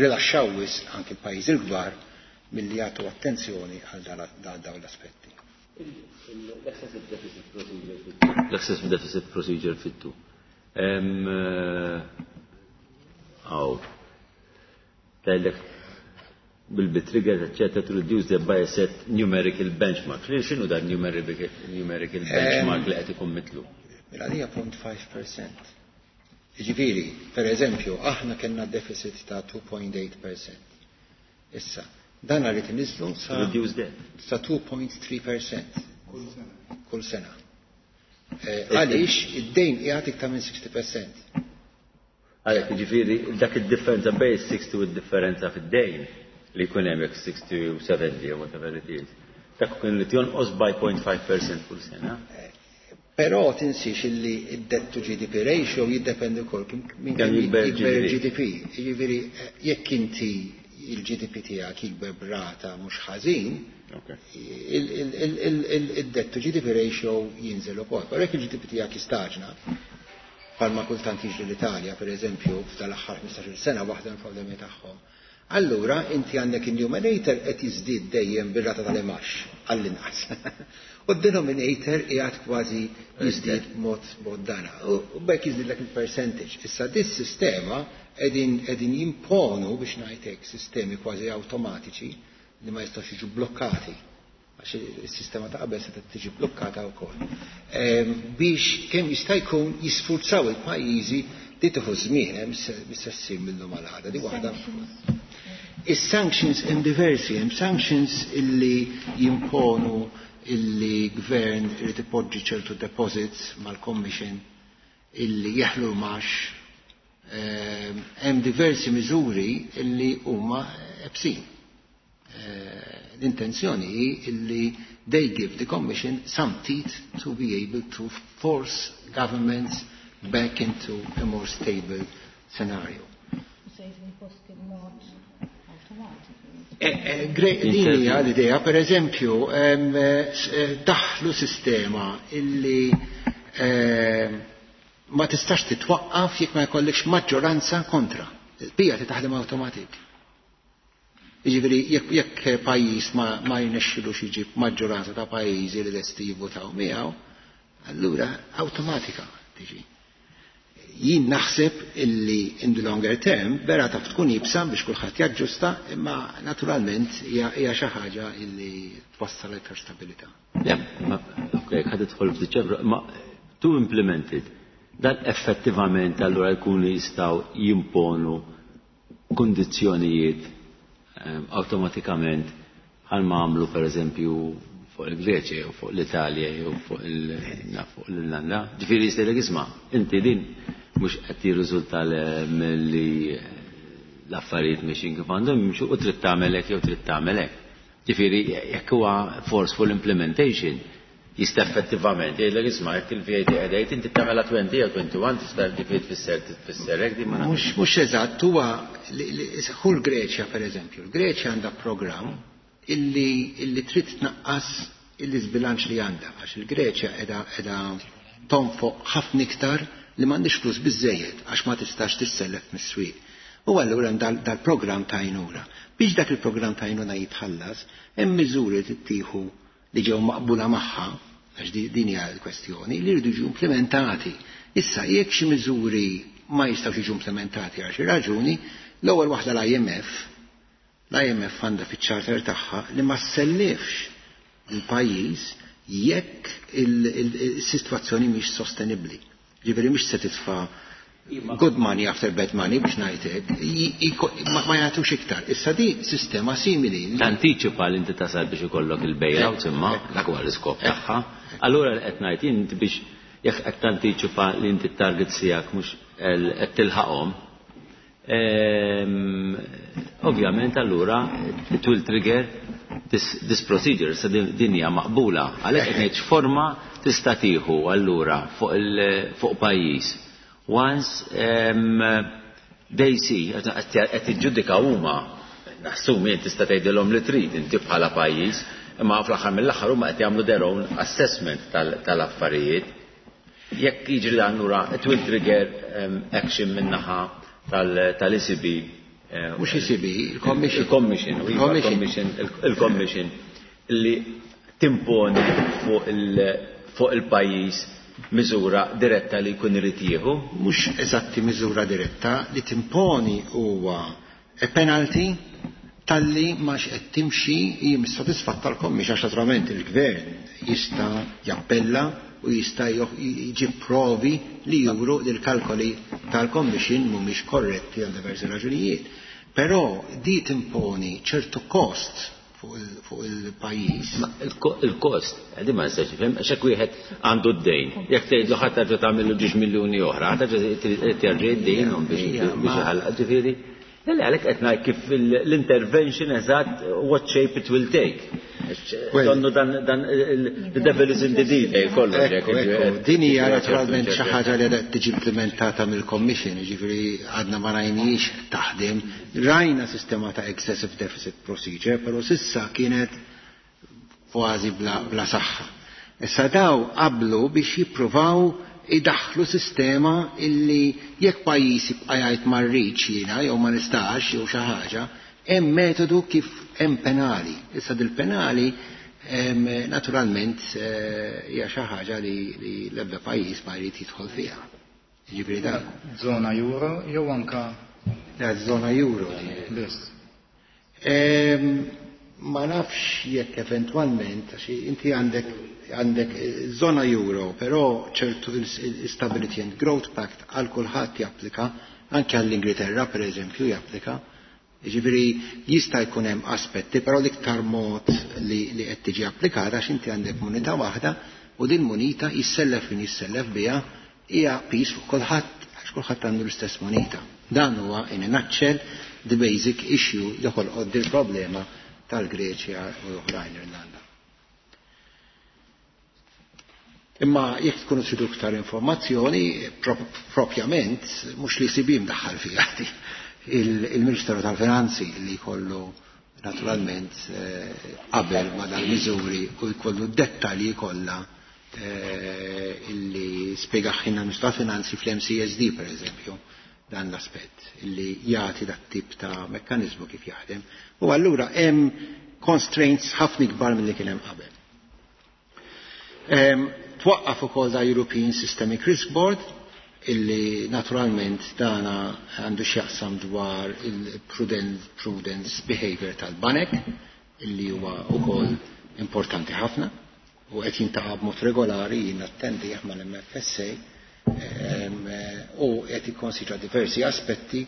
Speaker 2: rilaxxaw wisq anki l-pajjiżi l-kbar milli jagħtu attenzjoni għal dawn l-aspetti.
Speaker 1: L-excessive deficit procedure L-excessive deficit procedure fit-tu. Aw. Tgħidlek will be triggered, etc., to reduce the by a set numerical benchmark. X'inhu dan numerical benchmark li qed ikun mitlu?
Speaker 2: Mela hija 0.5%. Jiġifieri, per eżempju, aħna kellna deficit ta' 2.8%. Issa, dan għarrit nizlu sa, sa 2.3% kull sena. Għaliex id-dejn qiegħed iktar minn 60%.
Speaker 1: Għalhekk jiġifieri dak id-differenza bejn 60 u d-differenza fid-dejn li jkun hemm jekk 60 u 70 or whatever it is. Dak kien li jonqos by 0.5% kull sena.
Speaker 2: Però tinsiex illi id-debt to GDP ratio jiddependi wkoll minn kemm jikber il-GDP. Jiġifieri jekk inti il-GDP tiegħek jikber b'rata mhux ħażin, il-debt to GDP ratio jinżel ukoll. Però jekk il-GDP tiegħek jistaġna, bħalma kultant jiġri l-Italja, per eżempju, f'dal-aħħar 15-il sena waħda mill-problemi tagħhom. Allura inti għandek il-numerator qed jiżdied dejjem bir-rata tal-imax għall-inqas. U d-denominator qiegħed kważi jiżdied mod mod dana. U b'hekk jiżdiedlek il-percentage. Issa dis-sistema qegħdin jimponu biex ngħidlek sistemi kważi awtomatiċi li ma jistgħux jiġu blokkati għax is-sistema ta' qabel se tiġi blokkata wkoll. Biex kemm jista' jkun jisfurzaw il-pajjiżi li tieħu żmien hemm se ssir minnhom għal għada. Di waħda. Is-sanctions hemm diversi, hemm sanctions illi jimponu illi gvern irid ipoġġi ċertu deposits mal-commission illi jeħlu max. Hemm diversi miżuri illi huma ebsin. L-intenzjoni hi illi they give the commission some teeth to be able to force governments back into a more stable scenario. Din hija l-idea, per eżempju, daħlu sistema illi ma tistax titwaqqaf jekk ma jkollekx maġġoranza kontra. Bija titaħdem awtomatik. Jiġifieri jekk pajjiż ma jnexxilux jiġib maġġoranza ta' pajjiżi li lesti jivvutaw miegħu, allura awtomatika tiġi. Jien naħseb illi in the longer term vera taf tkun jibsa biex kulħadd jaġġusta, imma naturalment hija xi ħaġa illi twassal iktar stabilità.
Speaker 1: Ok, ħad tidħol f'Diċembru, ma to implement it, dan effettivament allura jkunu jistgħu jimponu kundizzjonijiet awtomatikament bħalma għamlu per eżempju fuq il-Greċja jew fuq l-Italja jew fuq l-Irlanda. Ġifieri jistgħidlek isma' inti din mhux qed jirriżulta milli l-affarijiet mixin kif għandhom jimxu u trid tagħmel hekk jew trid tagħmel hekk. Ġifieri jekk huwa forceful implementation jista' effettivament jgħidlek isma' jekk il-VAT qiegħda inti tagħmilha 20 jew 21 tista' ġifieri tfisser tfisser hekk din ma
Speaker 2: nafx. Mhux eżatt, huwa hu l-Greċja pereżempju. Il-Greċja għandha programm illi trid tnaqqas il-iżbilanċ li għandha għax il-Greċja qiegħda tonfoq ħafna iktar li m'għandix flus biżejjed għax ma tistax tissellef mis-swieq. U allura hemm dal-programm ta' għajnuna. Biex dak il-programm ta' għajnuna jitħallas, hemm miżuri tittieħu li ġew maqbula magħha, għax din hija l-kwestjoni, li jridu jiġu implementati. Issa jekk xi miżuri ma jistgħux jiġu implementati għal xi raġuni, l-ewwel waħda l-IMF, l-IMF għandha fiċ-charter tagħha li ma ssellifx il-pajjiż jekk il-sitwazzjoni mhix sostenibbli. Ġifieri mhix se titfa' good money after bad money biex ngħidlek, ma jagħtux iktar. Issa di sistema simili.
Speaker 1: Tantiċipa li inti tasal biex ikollok il-bailout imma dak huwa l-iskop tagħha. Allura li qed ngħid inti biex jekk qed tantiċipa li inti t-target tiegħek mhux qed tilħaqhom, ovvjament allura it will trigger this procedure, sa din hija maqbula. Għalhekk qed ngħid x'forma tista' tieħu allura fuq pajjiż. Once they see, qed jiġġudika huma, naħsum jien tista' tgħidilhom li trid inti bħala pajjiż, imma fl-aħħar mill-aħħar huma qed jagħmlu their own assessment tal-affarijiet. Jekk jiġri dan lura, it will trigger action min-naħa tal-ECB.
Speaker 2: Mhux ECB, il-Commission.
Speaker 1: Il-Commission, iva, il-Commission li timponi fuq il-pajjiż miżura diretta li jkun irid jieħu?
Speaker 2: Mhux eżatti miżura diretta, li timponi huwa a penalty talli ma qed timxi hi missodisfatta l-Commission, għax naturalment il-Gvern jista' jappella u jista' jġib provi li juru li l-kalkoli tal-Commission mhumiex korretti għal diversi raġunijiet. Però di timponi ċertu kost fuq il-pajjiż.
Speaker 1: Il-kost, di ma nistax nifhem, għax hekk wieħed għandu d-dejn. Jekk tgħidlu ħadd terġa' tagħmillu ġiex miljuni oħra, terġa' terġa' id-dejn biex iħallaq ġifieri. Le, għalhekk qed ngħid kif l-intervention eżatt what shape it will take. Donnu dan the devil is in the detail kollox.
Speaker 2: Din hija naturalment xi ħaġa li qed tiġi implementata mill-Commission, jiġifieri għadna ma rajniex taħdem. Rajna sistema ta' excessive deficit procedure, però s'issa kienet kważi bla saħħa. Issa daw qablu biex jippruvaw idaħħlu sistema illi jekk pajjiż jibqa' jgħid ma rridx jiena jew ma nistax jew xi ħaġa, hemm metodu kif hemm penali. Issa dil-penali naturalment hija xi ħaġa li l-ebda pajjiż ma jrid jidħol fiha. Jiġifieri dan.
Speaker 3: Żona euro jew anka
Speaker 2: Żona euro.
Speaker 3: Biss.
Speaker 2: Ma nafx jekk eventwalment, għax inti għandek zona euro, però ċertu il-Stability and Growth Pact għal kulħadd japplika, anke għall-Ingilterra per eżempju japplika. Jiġifieri jista' jkun hemm aspetti, però l-iktar mod li qed tiġi applikata għax inti għandek munita waħda u din munita jissellef min jissellef biha hija piż fuq kulħadd għax kulħadd għandu l-istess munita. Dan huwa in a nutshell the basic issue li ħolqot dil-problema tal-Greċja u l-oħrajn Irlanda. Imma jekk tkunu tridu iktar informazzjoni, propjament, mhux li ECB mdaħħal fiha il-Ministeru tal-Finanzi li jkollu naturalment qabel ma dal-miżuri u jkollu dettalji kollha illi spjegaħħilna l-Ministru tal-Finanzi fl-MCSD per eżempju, dan l-aspett illi jagħti dat tip ta' mekkaniżmu kif jaħdem. U allura hemm constraints ħafna ikbar milli kien hemm qabel. Twaqqaf ukoll da European Systemic Risk Board illi naturalment dana għandu x'jaqsam dwar il-prudence behavior tal-banek illi huwa ukoll importanti ħafna u qed jintaqa' b'mod regolari jien attendi mal-MFSA u qed jikkonsidra diversi aspetti,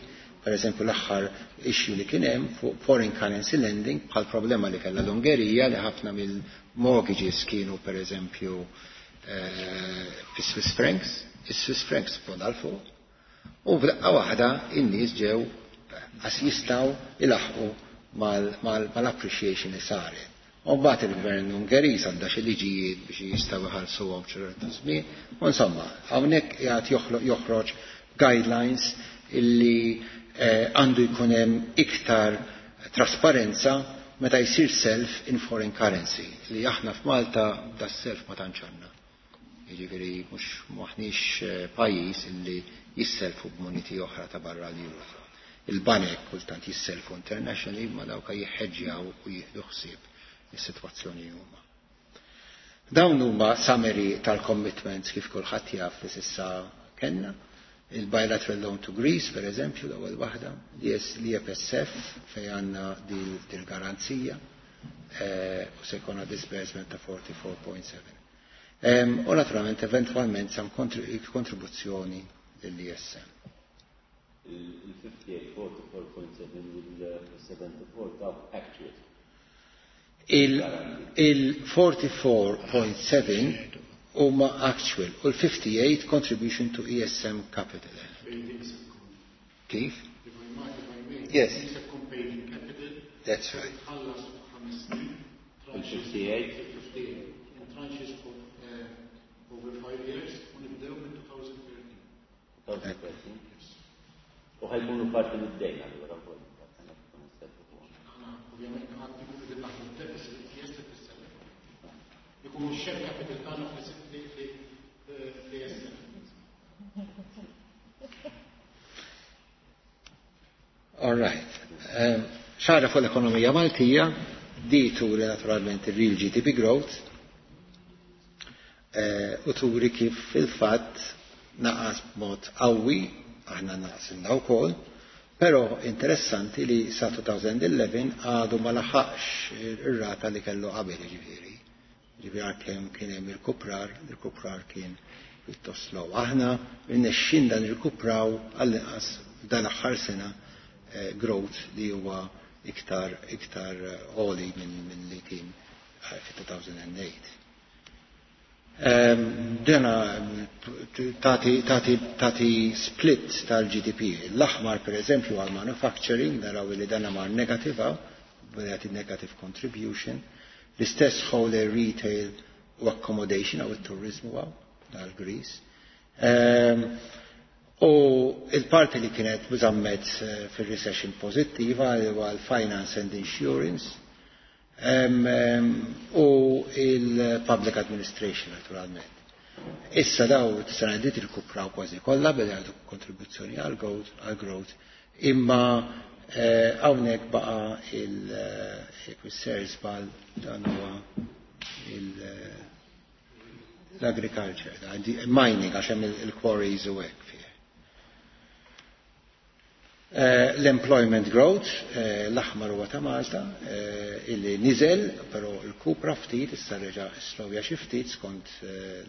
Speaker 2: per eżempju l-aħħar issue li kien hemm fuq foreign currency lending bħal problema li kellha l-Ungerija li ħafna mill-mortgages kienu per eżempju fi Swiss francs, is-Swiss francs fuq fuq, u f'daqqa waħda in-nies ġew għas jistgħu ilaħqu mal-appreciation li saret. U mbagħad il-gvern Ungeriż għandha xi liġijiet biex jistgħu jħallsuhom ċertu żmien. U insomma, hawnhekk qiegħed joħroġ guidelines illi għandu jkun hemm iktar trasparenza meta jsir self in foreign currency li aħna f'Malta da self ma tantx għandna. Jiġifieri mhux maħniex pajjiż illi jisselfu b'muniti oħra ta' barra l-Eurozone. Il-banek kultant jisselfu internationally ma dawk jħeġġjaw u jieħdu ħsieb is-sitwazzjoni huma. Dawn huma summary tal-commitments kif kulħadd jaf li s'issa kellna. Il-bilateral loan to Greece, per eżempju, l-ewwel waħda, l-EFSF fejn għandna dil-garanzija u se jkollna disbursement ta' 44.7. U naturalment eventwalment sam kontribuzzjoni lill-ESM.
Speaker 1: Il-58, 44.7 il-74 ta' actual.
Speaker 2: Il-44.7 huma actual u l-58 contribution to ESM capital. Kif? Yes. That's right.
Speaker 1: Il-58?
Speaker 3: Tranches over 5 years u nibdew minn 2013.
Speaker 1: U ħajkunu parti mid-dejn allura wkoll.
Speaker 3: Ovvjament għad ikunu qegħdin naħdmu deficit yes li tissellef. Ikunu share capital tagħna fl-ESM.
Speaker 2: All right. Xara fuq l-ekonomija Maltija, di turi naturalment il-real GDP growth, u turi kif fil-fatt naqas b'mod qawwi, aħna naqsilna wkoll, però interessanti li sa 2011 għadu ma laħaqx ir-rata li kellu qabel, jiġifieri. Ġifieri għalkemm kien hemm irkuprar, l-irkuprar kien pjuttost slow. Aħna rnexxinna nirkupraw għall-inqas f'dan aħħar sena growth li huwa iktar iktar għoli minn li kien fit-2008. Dena tati split tal-GDP. L-aħmar, per eżempju, għal manufacturing, naraw li dana mar negative, jagħti negative contribution. L-istess whole retail u accommodation għaw il-turizmu għaw, dal-Greece. U il-parti li kienet bżammet fil-recession pozittiva huwa l-finance and insurance u il-public administration naturalment. Issa daw t-sena dit irkupraw kważi kollha beda jagħtu kontribuzzjoni għal growth, imma hawnhekk baqa' il żball, dan huwa l-agriculture, mining, għax hemm il-quarries u hekk fih. L-employment growth, l-aħmar huwa ta' Malta, illi niżel, però l-kupra ftit, issa reġa' slowja xi ftit skont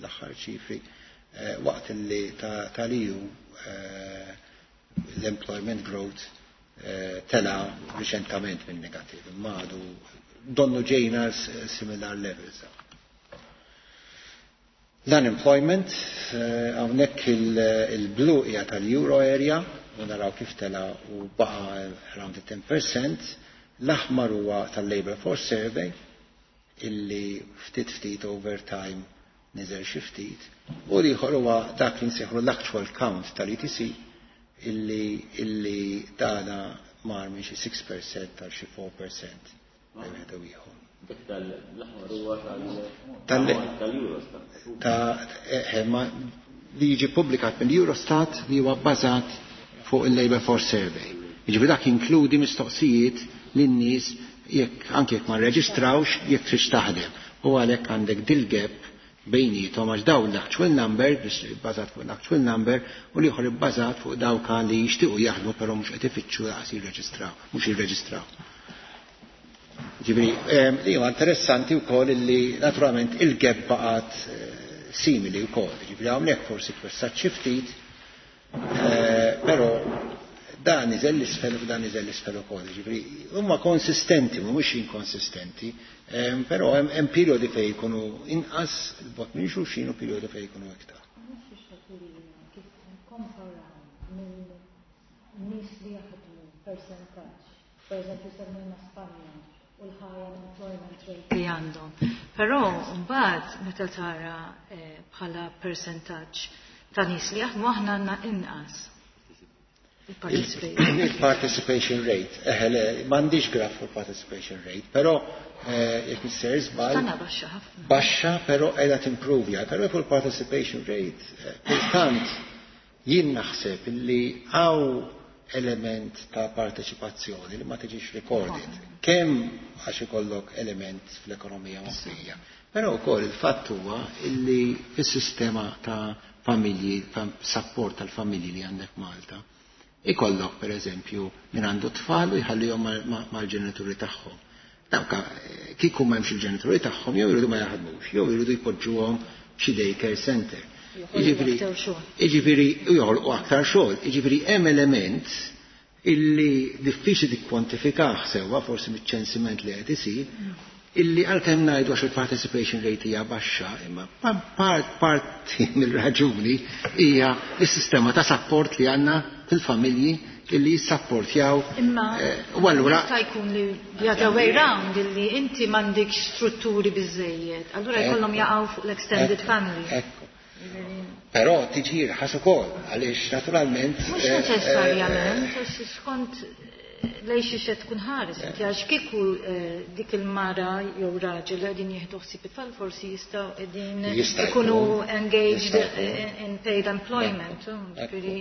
Speaker 2: l-aħħar ċifri, waqt illi tal-EU l-employment growth tela riċentament minn negativ, imma għadu donnu ġejna similar levels. L-unemployment, hawnhekk il-blu hija tal-euro area, u naraw kif tela u baqa around the 10%. L-aħmar huwa tal-Labor Force Survey, illi ftit ftit over time niżel xi ftit, u l-ieħor huwa dak li nsejħu l-actual count tal-ETC, illi dana mar minn xi 6% tal xi 4% bejn wieħed u ieħor.
Speaker 1: Dak tal-aħmar huwa tal-Eurostat.
Speaker 2: Ta' li jiġi publikat mill-Eurostat, li huwa bbażat fuq il-Labor Force Survey. Jiġifieri dak inkludi mistoqsijiet lin-nies jekk anke jekk ma rreġistrawx, jekk tridx taħdem. U għalhekk għandek dil-gap bejnietom, għax dawn l-actual number, bbażat fuq l-actual number, u l-ieħor ibbażat fuq dawk li jixtiequ jaħdmu però mhux qed ifittxu laqas jirreġistraw, mhux jirreġistraw. Ġifieri, li huwa interessanti wkoll illi naturalment il-gap baqgħet simili wkoll. Ġifieri hawnhekk forsi twessat xi ftit, però dan niżel l-isfel u dan niżel l-isfel ukoll. Ġifieri huma konsistenti, mhumiex inkonsistenti, però hemm periodi fejn jkunu inqas bot minn xulxin u periodi fejn jkunu iktar.
Speaker 4: Kif komparaw minn nies li jaħdmu percentaġġ, per eżempju semmejna Spanja u l-high unemployment rate li għandhom. Però mbagħad meta tara bħala percentaġġ ta' nies li jaħdmu, aħna għandna inqas. Il-participation.
Speaker 2: Il-participation rate, le, m'għandix graf fuq participation rate, però jekk nisser żball.
Speaker 4: Tana baxxa ħafna.
Speaker 2: Baxxa, però qiegħda timprovja, però fuq il-participation rate, kultant jien naħseb illi hawn element ta' parteċipazzjoni li ma tiġix recorded. Kemm għax ikollok element fl-ekonomija moħbija. Però wkoll il-fatt huwa illi fis-sistema ta' familji, support tal-familji li għandek Malta, ikollok per eżempju min għandu tfal u jħallihom mal-ġenituri tagħhom. Dawk kieku m'hemmx il-ġenituri tagħhom, jew jridu ma jaħdmux, jew jridu jpoġġuhom xi daycare center.
Speaker 4: Joħolqu aktar xogħol.
Speaker 2: Jiġifieri joħolqu aktar xogħol. Jiġifieri hemm element illi diffiċli tikkwantifikah sewwa, forsi miċ-ċensiment li qed isir, illi għalkemm ngħidu għax il-participation rate hija baxxa, imma parti mill-raġuni hija s-sistema ta' support li għandna fil-familji illi jissapportjaw.
Speaker 4: Imma
Speaker 2: u allura
Speaker 4: jista' jkun li the other way round, illi inti m'għandekx strutturi biżejjed, allura jkollhom jaqgħu fuq l-extended family.
Speaker 2: Ekku. Però tiġi irħas ukoll, għaliex naturalment
Speaker 4: Mhux neċessarjament, għax skont lej xi xed tkun ħares, inti għax kieku dik il-mara jew raġel li qegħdin jieħdu ħsieb it-tfal forsi jistgħu qegħdin
Speaker 2: Jista'
Speaker 4: ikunu
Speaker 2: jkun.
Speaker 4: engaged
Speaker 2: Jista' jkun.
Speaker 4: in paid employment. Ġifieri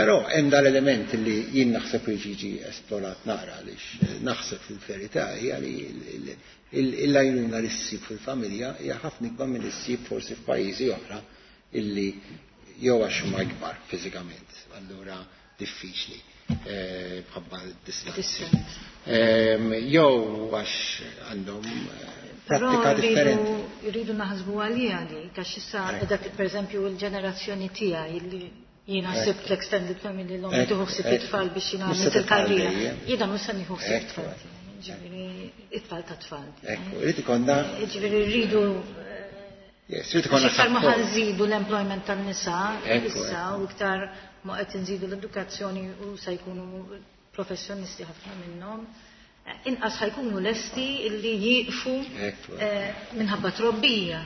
Speaker 2: Però hemm dal-element li jien naħseb li jiġi esplorat naqra, għaliex naħseb fil-verità hija li l-għajnuna li ssib fil-familja hija ħafna ikbar milli ssib forsi f'pajjiżi oħra, illi jew għax huma ikbar fiżikament, allura diffiċli bħabba d-distanzi.
Speaker 4: Distanza.
Speaker 2: Jew għax għandhom Prattika differenti.
Speaker 4: Rridu naħsbu għalija di, għax issa dak pereżempju l-ġenerazzjoni tiegħi li jiena sibt l-extended family l-om tieħu ħsieb it-tfal biex jiena għamilt il-karriera. Jiena mhux se nieħu ħsieb it-tfal. Ġifieri it-tfal ta' tfal.
Speaker 2: Ekku, irid ikollna.
Speaker 4: Ġifieri rridu
Speaker 2: Yes, irid ikollna.
Speaker 4: Iktar ma ħanżidu l-employment tan-nisa issa u iktar ma qed inżidu l-edukazzjoni u se jkunu professjonisti ħafna minnhom inqas ħajkunu lesti illi jieqfu minħabba trobbija.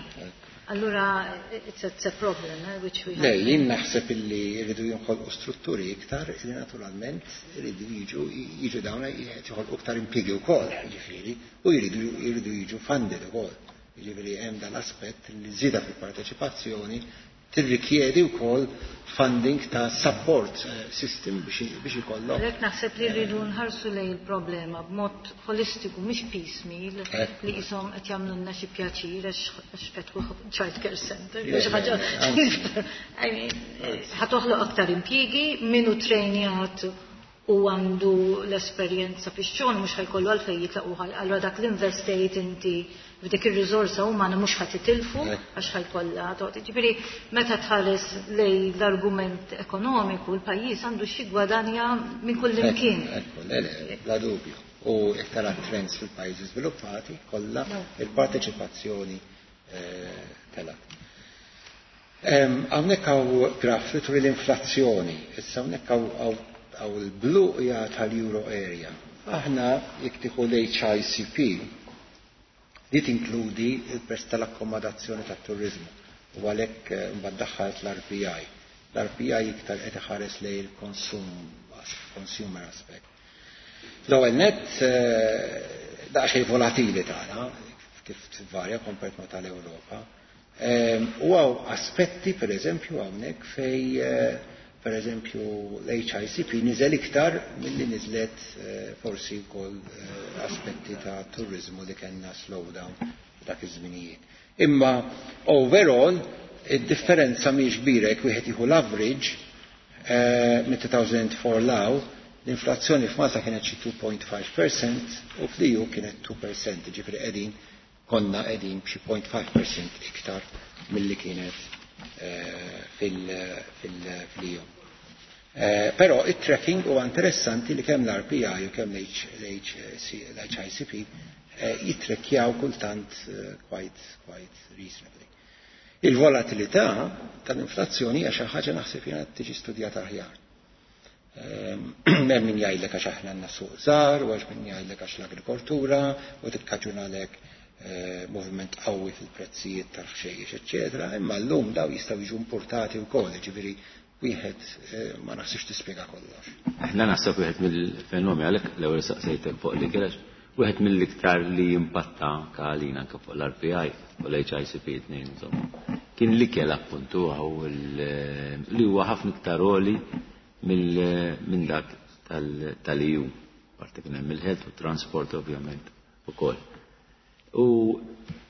Speaker 4: Allura, it's a problem, which we
Speaker 2: Le, jien naħseb illi jridu jinħolqu strutturi iktar illi naturalment jridu jiġu jiġu dawn joħolqu iktar impjiegi wkoll, jiġifieri, u jridu jiġu funded ukoll. Jiġifieri hemm dan l-aspett li żieda fil-parteċipazzjoni tirrikjedi wkoll funding ta' support system biex ikollok.
Speaker 4: Għalhekk naħseb li rridu nħarsu lejn il-problema b'mod holistiku mhix piecemeal li qishom qed jagħmlulna xi pjaċir għax fetħu child care center jew xi ħaġa. Ħa toħloq aktar impjiegi, min hu trejnjat u għandu l-esperjenza fix-xogħol mhux ħajkollu għalfejn jitlaq allura dak l-investejt inti f'dik ir-riżorsa umana mhux ħa titilfu għax ħajkollha toqgħod. Ġifieri meta tħares lejn l-argument ekonomiku l-pajjiż għandu xi gwadanja minn kull imkien.
Speaker 2: Ekku, le, le, bla dubju. U jekk tara trends fil-pajjiżi żviluppati kollha il-parteċipazzjoni telgħet. Hawnhekk hawn graf li turi l-inflazzjoni. Issa hawnhekk hawn il-blu hija tal-Euro area. Aħna jekk tieħu l-HICP li tinkludi il-prezz tal-akkomodazzjoni tat-turizmu u għalhekk mbagħad daħħalt l-RPI. L-RPI iktar qed iħares lejn il-konsum consumer aspect. L-ewwel nett daqsxejn volatili tagħna kif tvarja kompart ma tal-Ewropa. U hawn aspetti pereżempju hawnhekk fej pereżempju l-HICP niżel iktar milli niżlet forsi wkoll aspetti ta' turizmu li kellna slowdown dak iż-żminijiet. Imma overall id-differenza mhijiex kbira jekk wieħed jieħu l-average minn 2004 law l-inflazzjoni f'Malta kienet xi 2.5% u fl-EU kienet 2%, ġifieri qegħdin konna qegħdin b'xi 0.5% iktar milli kienet fil-EU. Però it-tracking huwa interessanti li kemm l-RPI u kemm l-HICP jittrekkjaw kultant quite reasonably. Il-volatilità tal-inflazzjoni hija xi ħaġa naħseb jiena tiġi studjata aħjar. Hemm min jgħidlek għax aħna għandna suq żgħar u għax min jgħidlek għax l-agrikoltura u tikkaġunalek moviment qawwi fil-prezzijiet tal-ħxejjex, eċċetera, imma llum daw jistgħu jiġu importati wkoll, jiġifieri wieħed ma naħsibx tispjega kollox.
Speaker 1: Aħna naħseb wieħed mill-fenomeni għalhekk l-ewwel saqsejtek fuq li kienx wieħed mill-iktar li jimpatta anke għalina anke fuq l-RPI u l-HICP tnejn insomma. Kien l-ikel appuntu li huwa ħafna iktar għoli minn dak tal-EU, parti kien hemm il-health u transport ovvjament ukoll. U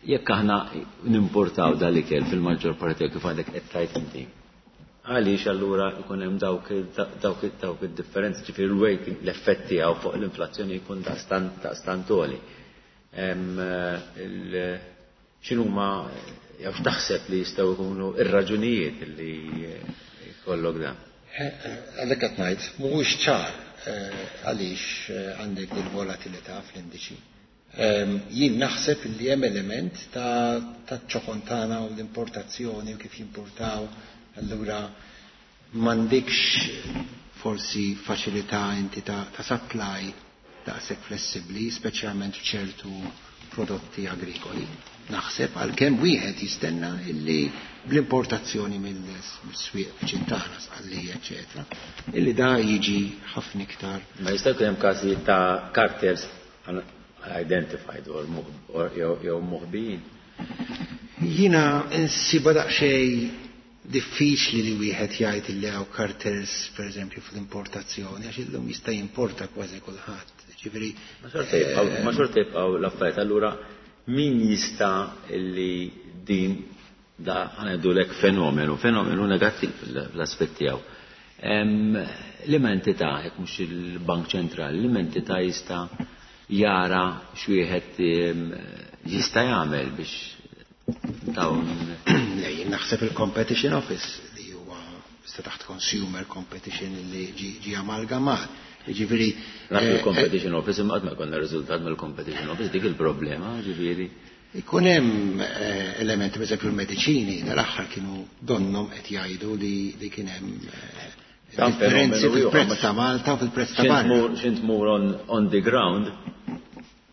Speaker 1: jekk aħna nimportaw dal-ikel fil-maġġor parti kif għandek qed tgħid inti. Għaliex allura jkun hemm dawk id-differenzi, ġifieri l-weighting l-effett tiegħu fuq l-inflazzjoni jkun daqstant għoli. X'inhuma jew x'taħseb li jistgħu jkunu ir-raġunijiet li jkollok dan?
Speaker 2: Għalhekk qed ngħid mhuwiex ċar għaliex għandek il-volatilità fl-indiċi. Jien naħseb li hemm element ta' ċokontana u l-importazzjoni u kif jimportaw, allura m'għandikx forsi faċilità inti ta' supply daqshekk flessibbli, speċjalment f'ċertu prodotti agrikoli. Naħseb għalkemm wieħed jistenna illi bl-importazzjoni mill-swieq viċin tagħna, Sqallija, eċetera, illi da jiġi ħafna iktar.
Speaker 1: Ma jista' jkun hemm każijiet ta' cartels identified or jew moħbijin.
Speaker 2: Jiena insiba daqsxejn diffiċli li wieħed jgħid illi hawn cartels pereżempju fl-importazzjoni għax illum jista' jimporta kważi kulħadd. Ġifieri
Speaker 1: Ma xorta jibqgħu l-affarijiet, allura min jista' illi din da ħanedulek fenomenu negattiv fl-aspett tiegħu. Liema entità, jekk mhux il-Bank Ċentrali, liema entità jista' jara x'wieħed jista' jagħmel biex dawn.
Speaker 2: Le, jien naħseb il-Competition Office li huwa sta taħt Consumer Competition li ġi amalgamat. Jiġifieri
Speaker 1: Naf il-Competition Office, imma qatt ma jkollna riżultat mill-Competition Office, dik il-problema, ġifieri.
Speaker 2: Ikun hemm elementi, pereżempju l-mediċini, dal-aħħar kienu donnom qed jgħidu li kien hemm
Speaker 1: Dan
Speaker 2: differenzi
Speaker 1: fenomenu ieħor,
Speaker 2: fil-prezz
Speaker 1: ma
Speaker 2: ta' Malta u fil-prezz ta' barra.
Speaker 1: Xint mur on the ground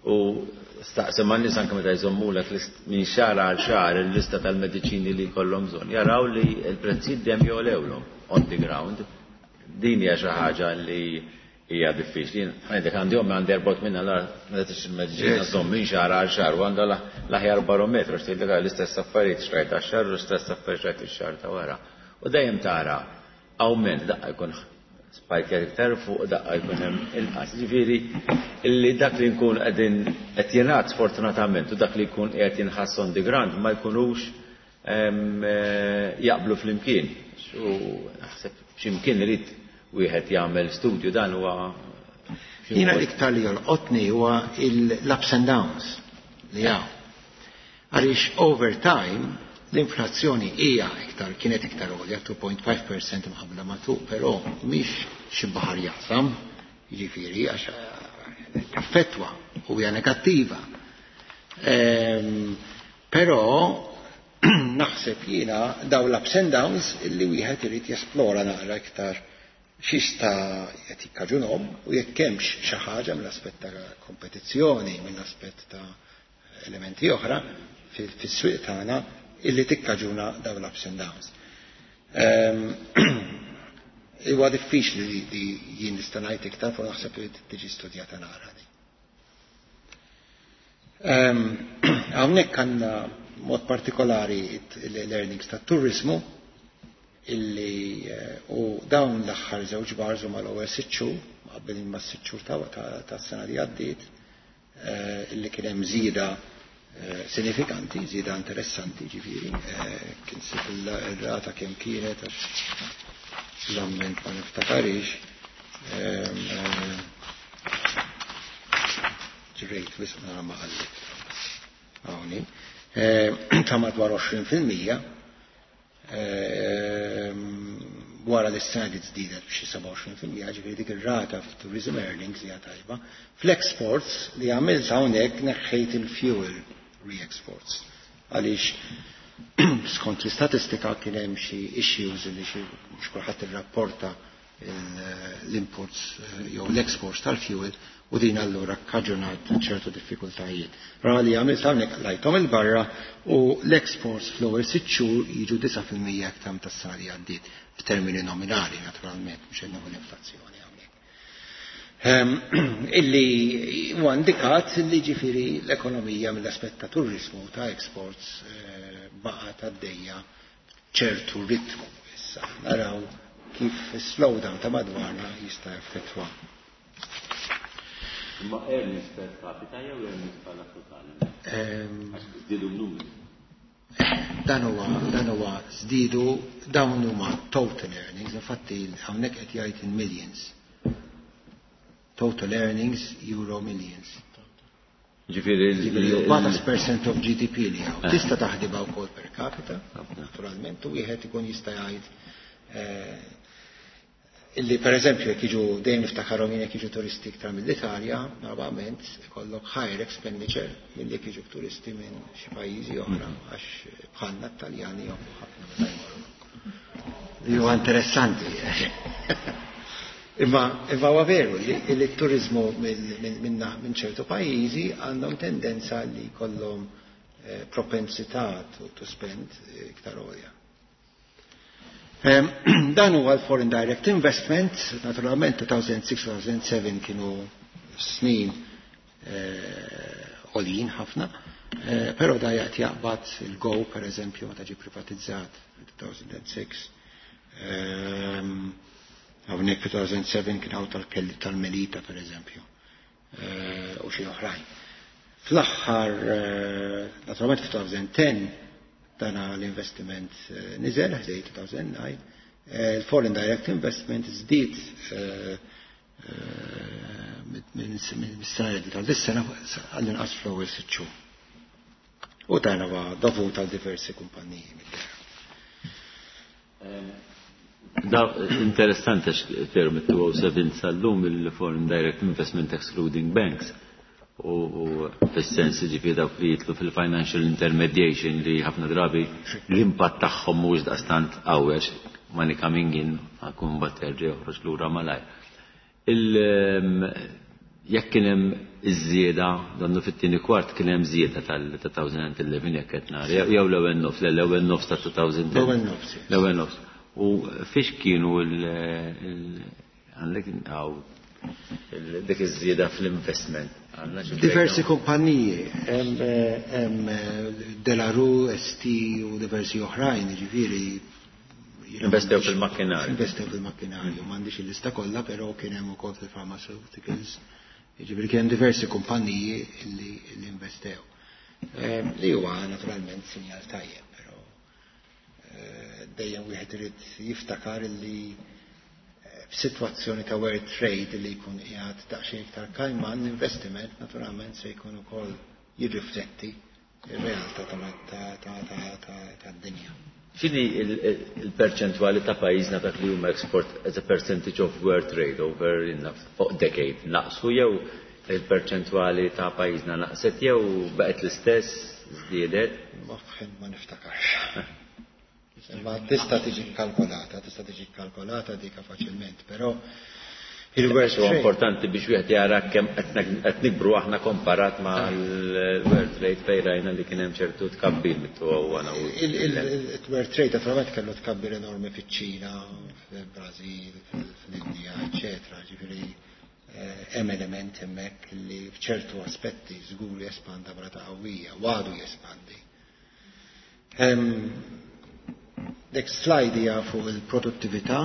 Speaker 1: u staqsi ma' nies anke meta jżommulek minn xahar għal xahar il-lista tal-mediċini li jkollhom bżonn, jaraw li l-prezzijiet dejjem jogħlewlhom on the ground. Din hija xi ħaġa li hija diffiċli. Għandek għandi ommi għandi erbot minna l meta tixtri l-mediċina żomm minn xahar għal xahar u għandha l-aħjar barometru għax tgħidlek l-istess affarijiet xtrajt għax-xahar u l-istess affarijiet xtrajt ix-xahar ta' wara. U dejjem tara awment daqqa jkun spike iktar fuq, daqqa jkun hemm inqas. Ġifieri illi dak li nkun qegħdin qed jingħad sfortunatament u dak li jkun qiegħed jinħass on the ground ma jkunux jaqblu flimkien. U naħseb x'imkien irid wieħed jagħmel studju dan huwa xi
Speaker 2: Jiena
Speaker 1: mod.
Speaker 2: l-iktar li jolqotni huwa l-ups and downs li hawn. Għaliex over time l-inflazzjoni hija iktar, kienet iktar għolja, 2.5% mqabbla ma' 2, però mhix xi baħar jaqsam, jiġifieri għax taffettwa u hija negattiva. Però naħseb jiena daw l-ups and downs illi wieħed irid jesplora naqra iktar x'jista' qed jikkaġunhom u jekk hemmx xi ħaġa mill-aspett ta' kompetizzjoni, mill-aspett ta' elementi oħra fis-swieq tagħna illi tikkaġuna dawn l-ups and downs. Huwa diffiċli li jien nista' ngħid iktar, però naħseb li tiġi studjata naqra di. Hawnhekk għandna mod partikolari l-earnings tat-turizmu illi u dawn l-aħħar żewġ bars huma l-ewwel 6 xhur, mqabbilin ma' 6 xhur ta' sena li għaddiet, illi kien hemm żieda sinifikanti, żieda interessanti, ġifieri, kien sib il-rata kemm kienet għax l-amment ma niftakarix, ġrejt wisq nara ma qallit. Hawnhi, ta' madwar 20%, wara li s-sena di żdiedet b'xi 27%, ġifieri dik ir-rata f'tourism earnings hija tajba. Fl-exports li għamilt hawnhekk neħħejt il-fuel re-exports għaliex skont l-istatistika kien hemm xi issues li xi mhux kulħadd irrapporta l-imports jew l-exports tal-fuel u din allura kkaġunat ċertu diffikultajiet. Ra li għamilt hawnhekk lajthom il-barra u l-exports fl-ewwel 6 xhur jiġu 9% aktar tas-sena li għaddiet f'termini nominali naturalment, mhux qed nagħmlu l-inflazzjoni hawnhekk. Illi huwa indikat li ġifieri l-ekonomija mill-aspett ta' turizmu ta' exports baqgħet għaddejja ċertu ritmu. Issa naraw kif slowdown ta' madwarna jista' jaffettwa.
Speaker 1: Imma earnings per capita jew earnings bħala totali? Għax żdiedu n-numri.
Speaker 2: Dan huwa żdiedu, dawn huma total earnings, infatti hawnhekk qed jgħid in millions. Total earnings euro millions.
Speaker 1: Ġifieri
Speaker 2: Ġifieri 14% of GDP li hawn. Tista' taħdibha wkoll per capita, naturalment, u wieħed ikun jista' jgħid illi per eżempju jekk jiġu dejjem niftakarhom jien jekk jiġu turisti iktar mill-Italja, normalment ikollok higher expenditure milli jekk jiġu turisti minn xi pajjiżi oħra, għax bħalna t-Taljani jonfqu ħafna meta jmorru. Li huwa interessanti. Imma huwa veru li t-turizmu minn ċertu pajjiżi għandhom tendenza li jkollhom propensità to spend iktar għolja. Dan huwa l-foreign direct investment, naturalment 2006-2007 kienu snin għoljin ħafna, però da jgħat jaqbad il-Go per eżempju meta ġie privatizzat 2006. Hawnhekk 2007 kien hawn tal-Melita per eżempju, u xi oħrajn. Fl-aħħar, naturalment 2010 dana l-investiment niżel ħdej 2009, il-foreign direct investment żdied minn mis-sena li tal-dis-sena għall-inqas fl-ewwel 6 xhur. U dan huwa dovut għal diversi kumpaniji mid-dehra.
Speaker 1: Da interessanti għax veru mit-2007 sal-lum il-Foreign Direct Investment Excluding Banks u fis-sens ġifieri dawk li jitlu fil-financial intermediation li ħafna drabi l-impatt tagħhom mhuwiex daqstant qawwi għax money coming in għakun mbagħad terġa' joħroġ lura malajr. Jekk kien hemm iż-żieda, donnu fit-tieni kwart kien hemm żieda tal-2011 jekk qed nara, jew l-ewwel nofs, le l-ewwel nofs ta' 2010.
Speaker 2: L-ewwel nofs.
Speaker 1: L-ewwel nofs. U fiex kienu għandek għaw dik iż-żieda fl-investment?
Speaker 2: Diversi kumpaniji, hemm De La Rue, ST u diversi oħrajn, jiġifieri
Speaker 1: Investew fil-makkinarju.
Speaker 2: Investew fil-makkinarju, m'għandix il-lista kollha, però kien hemm ukoll fil-pharmaceuticals. Jiġifieri kien hemm diversi kumpaniji li investew. Li huwa naturalment sinjal tajjeb, però dejjem wieħed irid jiftakar li f'sitwazzjoni ta' world trade li jkun qiegħed daqsxejn iktar kajman, l-investiment naturalment se jkun ukoll jirrifletti ir-realtà tad-dinja.
Speaker 1: X'inhi il-perċentwali ta' pajjiżna dak li huma export as a percentage of world trade over fuq decade naqsu jew il-perċentwali ta' pajjiżna naqset jew baqgħet l-istess żdiedet?
Speaker 2: Ma niftakarx. Ma tista' tiġi kalkolata, tista' tiġi kalkolata dika faċilment, però il-world
Speaker 1: trade. Importanti biex wieħed jara kemm qed nikbru aħna komparat ma' l-world trade fejn rajna li kien hemm ċertu tkabbir mit-2001.
Speaker 2: Il-world trade naturalment kellu tkabbir enormi fiċ-Ċina, fil-Brażil, fl-Indja, eċetera. Ġifieri hemm element hemmhekk li f'ċertu aspetti żgur jespanda b'rata qawwija, u għadu jespandi. Next slide hija fuq il-produttività,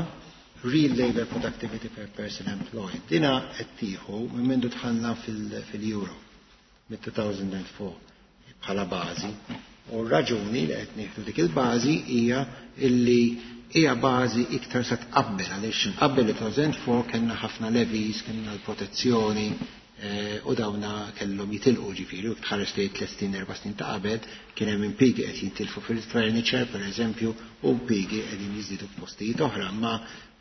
Speaker 2: real labor productivity per person employed. Dina qed tieħu minn mindu dħalna fil-Euro mid-2004 bħala bażi. U r-raġuni li qed nieħdu dik il-bażi hija illi hija bażi iktar sa tqabbel għaliex qabel 2004 kellna ħafna levies, kellna l-protezzjoni u dawna kellhom jitilqu ġifieri u tħares li 3 snin 4 snin ta' qabel kien hemm impjiegi qed jintilfu fil-furniture pereżempju u impjiegi qegħdin jiżdiedu f'postijiet oħra, ma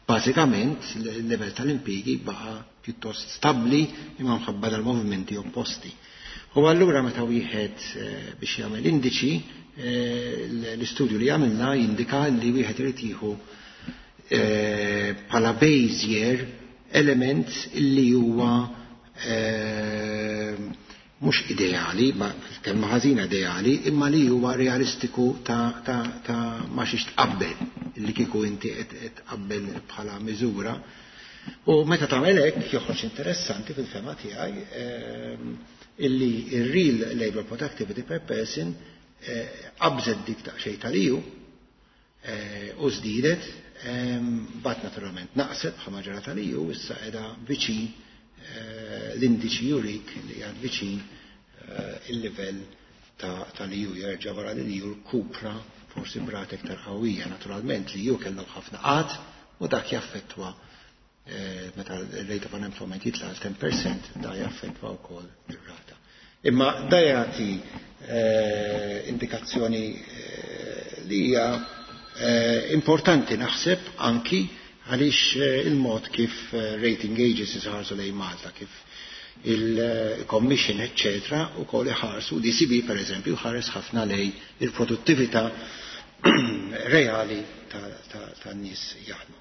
Speaker 2: bażikament il-level tal-impjiegi baqa' pjuttost stabbli imma mħabba dal-movimenti opposti. U allura meta wieħed biex jagħmel indiċi, l-istudju li għamilna jindika li wieħed irid jieħu bħala base year element li huwa mhux ideali, ma kelma ħażina ideali, imma li huwa realistiku ta' ma xiex tqabbel li kieku inti qed tqabbel bħala miżura. U meta tagħmel hekk joħroġ interessanti fil-fema tiegħi illi ir-real labor productivity per person qabżet dik daqsxejn tal-EU u żdiedet, bat naturalment naqset bħala ġara tal-EU, issa qiegħda viċin l-indiċi jurik li għad viċin il-livell tal-EU jerġa' wara li l-EU rkupra forsi brata iktar qawwija. Naturalment li EU kellhom ħafna qgħad u dak jaffettwa meta l-rate of unemployment jitla' għal 10% da jaffettwa wkoll ir-rata. Imma da jagħti indikazzjoni li hija importanti naħseb anki għaliex il-mod kif rating agencies ħarsu lejn Malta, kif il-commission, eccetera, u koll iħarsu, l-ECB per eżempju, ħares ħafna lej il-produttività reali tan-nies jaħdmu.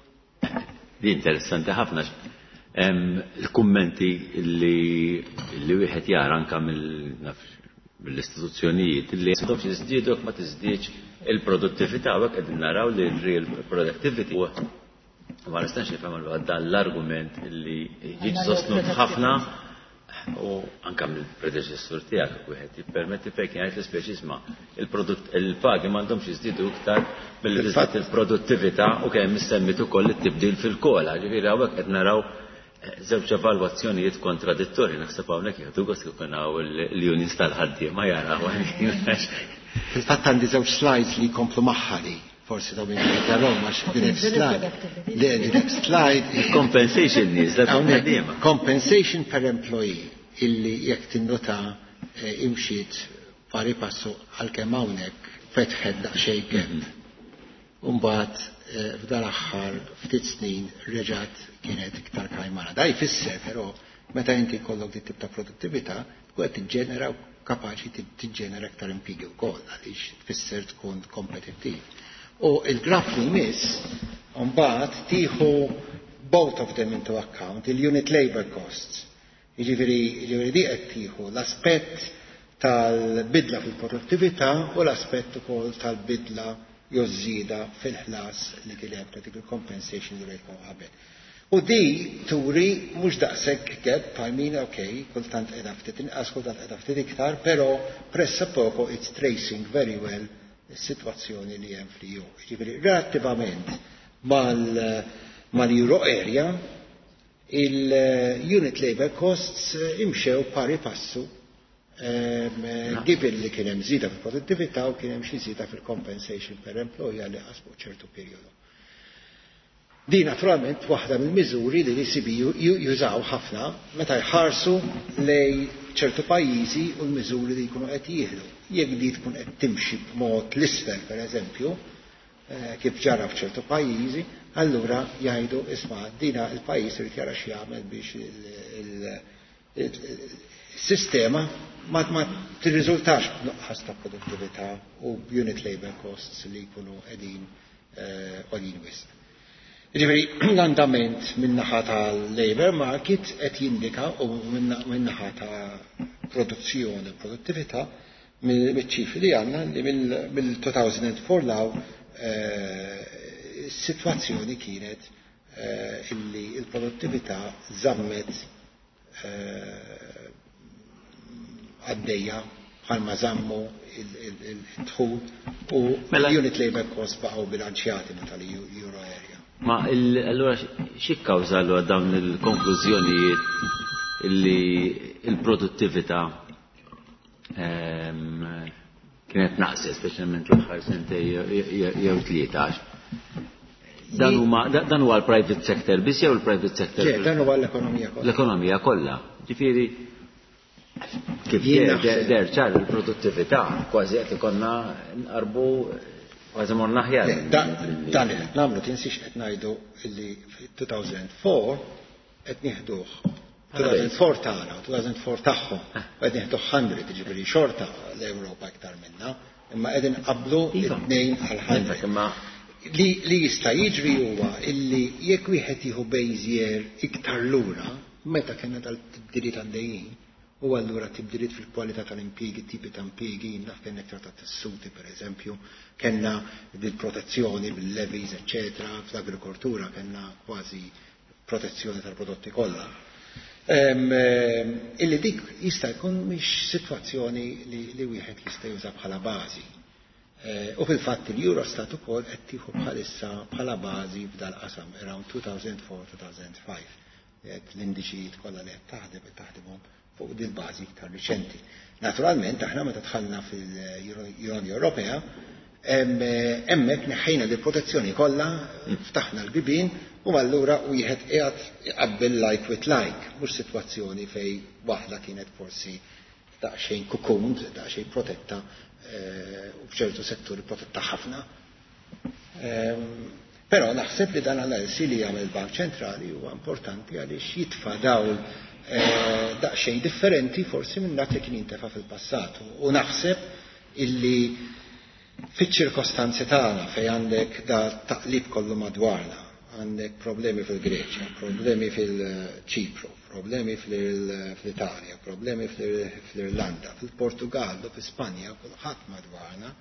Speaker 1: Di interessanti ħafna. Il-kummenti li wieħed jara anka mill-istituzzjonijiet li m'għandhomx jiżdiedu jekk ma tiżdiedx il-produttività, u hekk qegħdin naraw li l-real productivity u ma nistax nifhem allura dan l-argument li jiġi sostnut ħafna u anka mill-predeċessur tiegħek wieħed jippermetti fejn kien jgħid l-ispeċi isma' il-pagi m'għandhomx jiżdiedu iktar milli tiżdied il-produttività u kemm issemmit ukoll it-tibdil fil-kola. Ġifieri hawnhekk qed naraw żewġ evalwazzjonijiet kontradittorji, naħseb hawnhekk jieħdu gost kif ikun hawn l-unions tal-ħaddiema jaraw.
Speaker 2: Fil-fatt għandi żewġ slides li jkomplu magħha li. Forsi daw minn jarahom għax the next slide. Le, the next slide.
Speaker 1: Compensation nies, da tkun
Speaker 2: Compensation per employee illi jekk tinnota imxiet pari passu għalkemm hawnhekk fetħet daqsxejn gap. Umbagħad f'dan aħħar ftit snin reġgħet kienet iktar kajmana. Da jfisser però meta inti jkollok dit tip ta' produttività tkun qed tiġġenera kapaċi tiġġenera iktar impjiegi wkoll għaliex tfisser tkun kompetittiv. U il-graf li jmiss mbagħad tieħu both of them into account, il-unit labor costs. Jiġifieri jiġifieri di qed tieħu l-aspett tal-bidla fil-produttività u l-aspett ukoll tal-bidla jew żieda fil-ħlas li kien hemm ta' dik il-compensation li rejtkom qabel. U di turi mhux daqshekk gap, I mean, okay, kultant qiegħda ftit inqas, kultant qiegħda ftit iktar, però pressappoco it's tracing very well is-sitwazzjoni li hemm fl-EU. Jiġifieri relattivament mal-Euro area, il-unit labor costs imxew pari passu given li kien hemm żieda fil-produttività u kien hemm xi żieda fil-compensation per employee għal fuq ċertu perjodu. Di naturalment waħda mill-miżuri li l-ECB jużaw ħafna meta jħarsu lej ċertu pajjiżi u l-miżuri li jkunu qed jieħdu. Jekk di tkun qed timxi b'mod l-isfel pereżempju, kif ġara f'ċertu pajjiżi, allura jgħidu isma' dina il-pajjiż irid jara x'jagħmel biex il-sistema ma tirriżultax b'nuqqas ta' produttività u unit labor costs li jkunu qegħdin għoljin wisq. Ġifieri l-andament min-naħa tal-labor market qed jindika u min-naħa ta' produzzjoni u produttività mill-ċifri li għandna li mill-2004 'l hawn is-sitwazzjoni kienet illi il-produttività żammet għaddejja bħalma żammu il-dħul u
Speaker 1: Mela-
Speaker 2: unit labor cost baqgħu bilanċjati ma tal-euro area.
Speaker 1: Ma allura xi kkawża allura dawn il-konklużjonijiet illi il-produttività kienet naqset, speċjalment l-aħħar sentej jew tlieta? Dan huma dan huwa l-private sector biss jew il-private sector?
Speaker 2: Le, dan huwa l-ekonomija kollha.
Speaker 1: L-ekonomija kollha. Ġifieri kif
Speaker 2: Jien
Speaker 1: der
Speaker 2: naħseb-
Speaker 1: der ċar il-produttività kważi qed ikollna nqarbu kważi morna aħjar.
Speaker 2: Le, Dan li qed nagħmlu tinsiex qed ngħidu illi fi 2004 qed nieħduh 2004 tagħna u 2004 tagħhom u qed nieħdu 100, jiġifieri xorta l-Ewropa iktar minna, imma qegħdin qablu it-tnejn għal 100.
Speaker 1: Imma
Speaker 2: Li jista' jiġri huwa illi jekk wieħed jieħu base year iktar lura, meta kellna dal-tibdiliet għaddejjin, u allura tibdiliet fil-kwalità tal-impjiegi, tipi ta' impjiegi, naf kellna iktar ta' tessuti per eżempju, kellna bil-protezzjoni, bil-levies, eccetera, fl-agrikoltura kellna kważi protezzjoni tal-prodotti kollha. Illi dik jista' jkun mhix sitwazzjoni li wieħed jista' juża bħala bażi. U fil-fatt il-Eurostat ukoll qed tieħu bħalissa bħala bażi f'dal-qasam around 2004-2005. Qed l-indiċijiet kollha li qed taħdem qed taħdimhom fuq din bażi iktar riċenti. Naturalment aħna meta dħalna fil-Unjoni Ewropea hemmhekk neħħejna di protezzjoni kollha, ftaħna l-bibien u allura wieħed qiegħed iqabbel like with like, mhux sitwazzjoni fej waħda kienet forsi daqsxejn cocooned, daqsxejn protetta u f'ċertu setturi protetta ħafna. Però naħseb li dan analisi li jagħmel il-Bank Ċentrali huwa importanti għaliex jitfa' dawl daqsxejn differenti forsi minn dak li kien jintefa' fil-passat. U naħseb illi fiċ-ċirkostanzi tagħna fejn għandek da taqlib kollu madwarna, għandek problemi fil-Greċja, problemi fil-Ċipru, problemi fl-Italja, problemi fl-Irlanda, fil-Portugallu, fil-Spanja, kulħadd madwarna.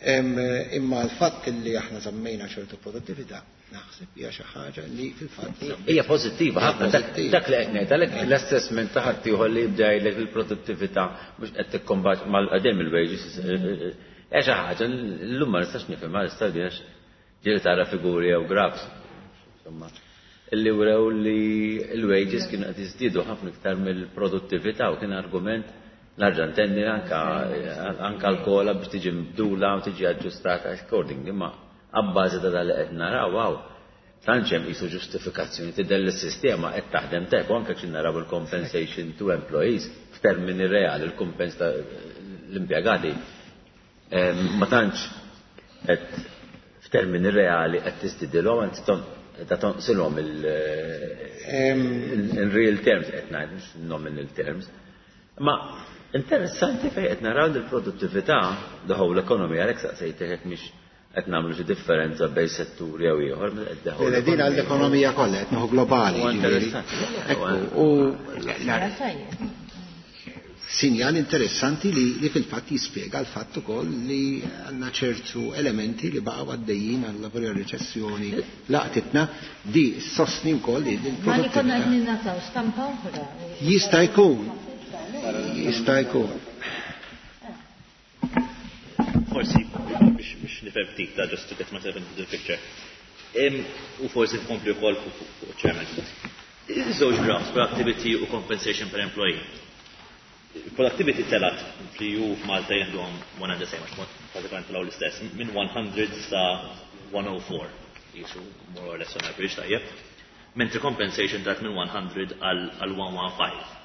Speaker 2: Imma l-fatt li aħna żammejna ċertu produttività, naħseb hija xi ħaġa li fil-fatt
Speaker 1: Hija pożittiva ħafna.
Speaker 2: Pożittiva.
Speaker 1: Dak li qed ngħid, għalhekk l-assessment ta' ħadd ieħor li jibda jgħidlek il-produttività mhux qed tikkombat mal-qedem il-wages. Hija xi ħaġa llum ma nistax nifhimha l-istadja għax ġieli tara figuri jew graphs. Insomma, illi wrew li l-wages kienu qed jiżdiedu ħafna iktar mill-produttività u kien argument narġa' ntenni anka l-COLA biex tiġi mbdula u tiġi aġġustata accordingly, imma Abbażi ta' dan li qed naraw hawn, tantx hemm qisu ġustifikazzjoni tidher li s-sistema qed taħdem tajjeb u anke xi naraw il-compensation to employees f'termini reali, il-kumpens ta' l-impjegati ma tantx qed f'termini reali qed tiżdidilhom, anzi ta' tonqsilhom in real terms qed ngħid, mhux nominal terms. Ma interessanti fejn qed naraw li l-produttività, the whole economy, għalhekk saqsejtek jekk mhix qed nagħmlu xi differenza bejn setturi jew ieħor, meta qed the whole
Speaker 2: Le, din
Speaker 1: economy.
Speaker 2: għall-ekonomija kollha qed nieħu globali,
Speaker 1: Huwa
Speaker 2: jiġifieri.
Speaker 1: interessanti.
Speaker 2: Ekku, u sinjal interessanti li fil-fatt jispjega l-fatt ukoll li għandna ċertu elementi li baqgħu għaddejjin għal lavori reċessjoni laqtitna di sostni wkoll li
Speaker 4: Ma li konna
Speaker 2: l-produttività.
Speaker 4: qed ningħataw stampa oħra.
Speaker 2: Jista' jkun. Jista' jkun.
Speaker 5: Forsi biex nifhem ftit ta' just to get myself into the picture. U forsi tkompli wkoll fuq chairman. Iż-żewġ graphs, productivity u compensation per employee. Productivity telat li ju f'Malta jeħduhom one and the same, għax pratikament telgħu l-istess, minn 100 sa 104, jisu more or less on average tajjeb. Mentri compensation telat minn 100 għal 115.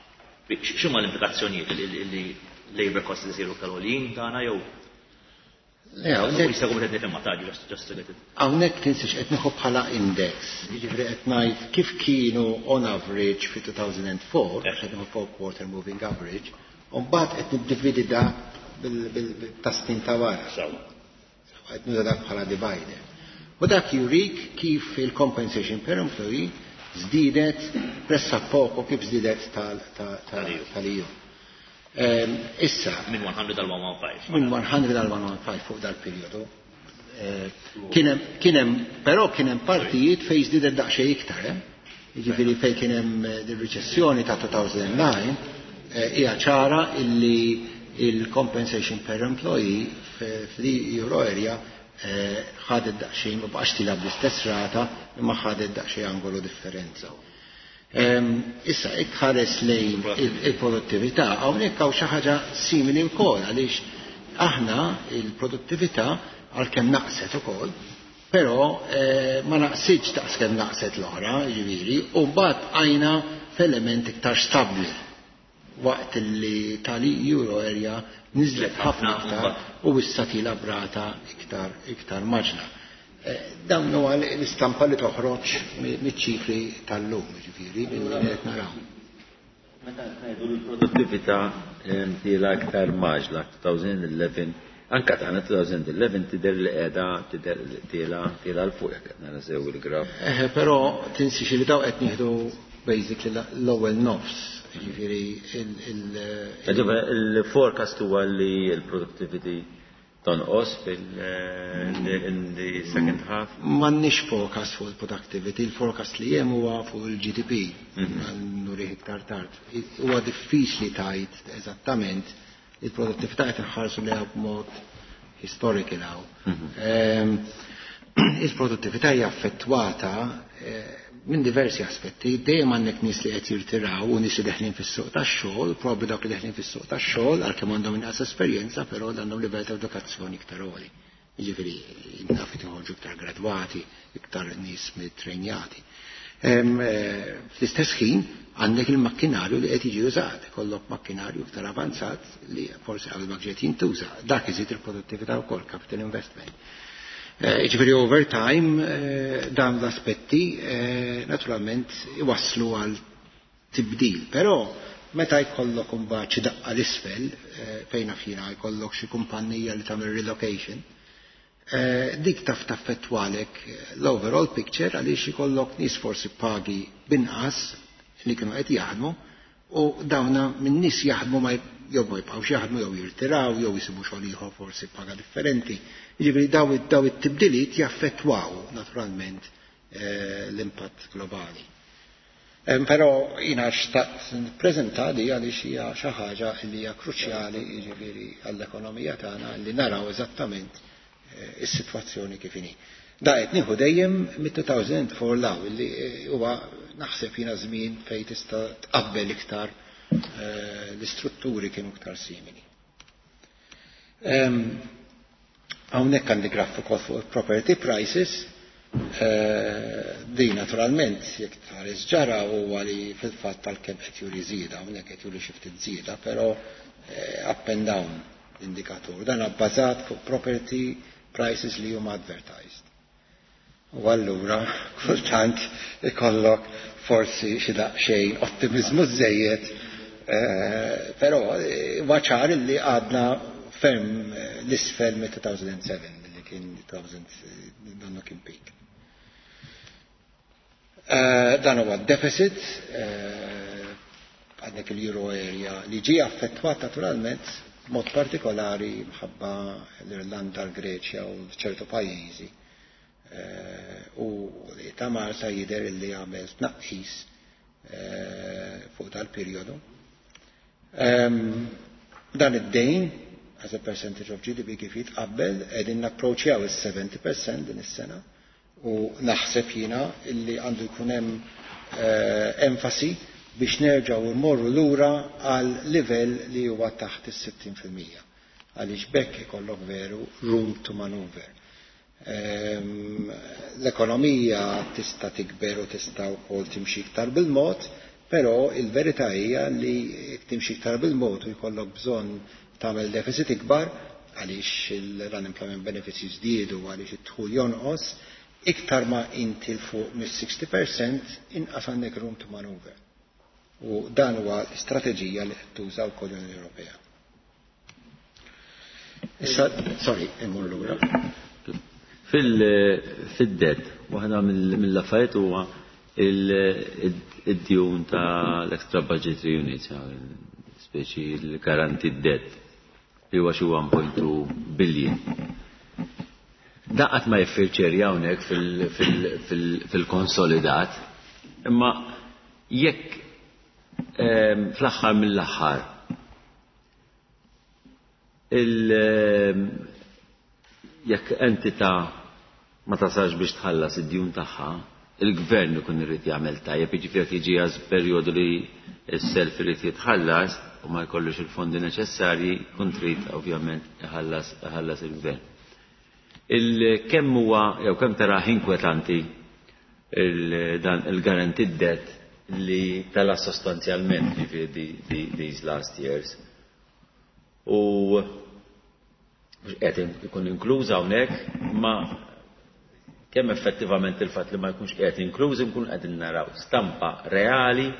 Speaker 5: X'huma l-implikazzjonijiet li labor costs isiru iktar għoljin tagħna jew?
Speaker 2: Le, hawnhekk
Speaker 5: Jista' jkun qed nifhem ma taġi, just to get it.
Speaker 2: Hawnhekk tinsiex qed nieħu bħala index. Jiġifieri qed ngħid kif kienu on average fi 2004, għax qed nieħu four quarter moving average, u mbagħad qed niddividi dak bil-tasnin ta' wara.
Speaker 5: Sewa.
Speaker 2: Qed nuża dak bħala divider. U dak jurik kif il-compensation per employee żdiedet pressa poco kif żdiedet
Speaker 5: Tal-EU.
Speaker 2: tal-EU. Issa,
Speaker 5: Minn 100 għal 115.
Speaker 2: Minn 100 għal 115 fuq dal-periodu. Però kien hemm partijiet fejn żdiedet daqsxejn iktar, eh? Jiġifieri fejn kien hemm ir-riċessjoni ta' 2009, hija ċara illi il-compensation per employee fl-euro area ħadet daqsxejn, ma baqax tilab bl-istess rata, imma ħadet daqsxejn angolu differenza. Issa, jekk ħares lejn il-produttività, hawnhekk hawn xi ħaġa simili wkoll, għaliex aħna il-produttività għalkemm naqset ukoll, però ma naqsitx daqs kemm naqset l-oħra, jiġifieri, u mbagħad bqajna f'element iktar stabbli waqt li tal-euro area niżlet ħafna iktar u issa tila brata iktar maġna. Dawn huwa l-istampa li toħroġ miċ-ċifri tal-lum, jiġifieri, minn li qed naraw.
Speaker 1: Meta ngħidu l-produttività tila iktar maġla 2011, anka tagħna 2011 tidher li qiegħda tidher li tila l fuq jekk qed nara sew il-graf.
Speaker 2: Però tinsiex li daw qed nieħdu basically l-ewwel nofs, jiġifieri
Speaker 1: Ġifieri il-forecast huwa li l-productivity tonqos in the second half?
Speaker 2: M'għandniex forecast fuq il-productivity, il-forecast li hemm huwa fuq il-GDP, nurih iktar tard. Huwa diffiċli tgħid eżattament il-produttività qed inħarsu lejha b'mod historical hawn. Il-produttività hija affettwata minn diversi aspetti, dejjem għandek nies li qed jirtiraw u nies li deħlin fis-suq tax-xogħol, probabbli dawk li deħlin fis-suq tax-xogħol għalkemm għandhom inqas esperjenza, però għandhom livell ta' edukazzjoni iktar għoli. Jiġifieri naf li joħorġu iktar gradwati, iktar nies mit-trejnjati. Fl-istess ħin għandek il-makkinarju li qed jiġi użat, ikollok makkinarju iktar avanzat li forsi qabel ma ġiet jintuża. Dak iżid il-produttività wkoll, capital investment. Jiġifieri over time dan l-aspetti naturalment iwasslu għal tibdil, però meta jkollok imbagħad xi daqqa l-isfel fejn naf jiena jkollok xi kumpanija li tagħmel relocation, dik taf taffettwalek l-overall picture għaliex ikollok nies forsi pagi binqas li kienu qed jaħdmu u dawna minn nies jaħdmu ma jew ma jibqgħux jaħdmu jew jirtiraw jew jisibu xogħol ieħor forsi paga differenti. Jiġifieri daw it-tibdiliet jaffettwaw naturalment l-impatt globali. Però jiena xtaqt nippreżenta di għaliex hija xi ħaġa li hija kruċjali jiġifieri għall-ekonomija tagħna li naraw eżattament is-sitwazzjoni kif inhi. Da qed nieħu dejjem mit-2004 law li huwa naħseb jiena żmien fejn tista' tqabbel iktar l-istrutturi kienu iktar simili. Hawnhekk għandi graf ukoll fuq property prices. Di naturalment jekk tħares ġara huwa li fil-fatt tal-kemm qed juri żieda, hawnhekk qed juri xi ftit żieda, però up and down l-indikatur. Dan bbażat fuq property prices li huma advertised. U allura kultant ikollok forsi xi daqsxejn ottimizmu żejjed, però huwa ċar li għadna ferm l-isfel mit-2007 li kien 2000 donnu kien peak. Dan huwa deficit għandek il-euro area li ġie affettwat naturalment mod partikolari mħabba l-Irlanda, l-Greċja u ċertu pajjiżi. U ta' Malta jidher li għamel tnaqqis fuq tal-perjodu. Dan id-dejn as a percentage of GDP kif jitqabbel qegħdin napproċċjaw is-70% din is-sena u naħseb jiena illi għandu jkun hemm enfasi biex nerġgħu mmorru lura għal livell li huwa taħt is-60%. Għaliex bekk ikollok veru room to maneuver. L-ekonomija tista' tikber u tista' wkoll timxi iktar bil-mod, però il-verità hija li timxi iktar bil-mod u jkollok bżonn tagħmel deficit ikbar għaliex l-unemployment benefits jiżdiedu għaliex id-dħul jonqos, iktar ma inti 'l fuq mis-60% inqas għandek room to maneuver. U dan huwa l-istrateġija li qed tuża wkoll l-Unjoni Ewropea. Issa, sorry, immur lura.
Speaker 1: Fil-debt, waħda mill-affarijiet huwa id-djun ta' l-extra budgetary units, speċi l-guaranteed debt, li huwa xi 1.2 billion. Daqat ma jiffirċeri hawnhekk fil-konsolidat, imma jekk fl-aħħar mill-aħħar jekk entità ma tasalx biex tħallas id-djun tagħha, il-gvern ikun irid jagħmel tajjeb, jiġifieri jekk jiġi għaż perjodu li s-self irid jitħallas u ma jkollux il-fondi neċessarji, kun trid ovvjament iħallas il-gvern. Il-kemm huwa jew kemm tara inkwetanti dan il-guaranteed debt li tala sostanzjalment jiġifieri these last years. U mhux qed ikun inkluż hawnhekk, ma kemm effettivament il-fatt li ma jkunx qiegħed inkluż inkun qegħdin naraw stampa reali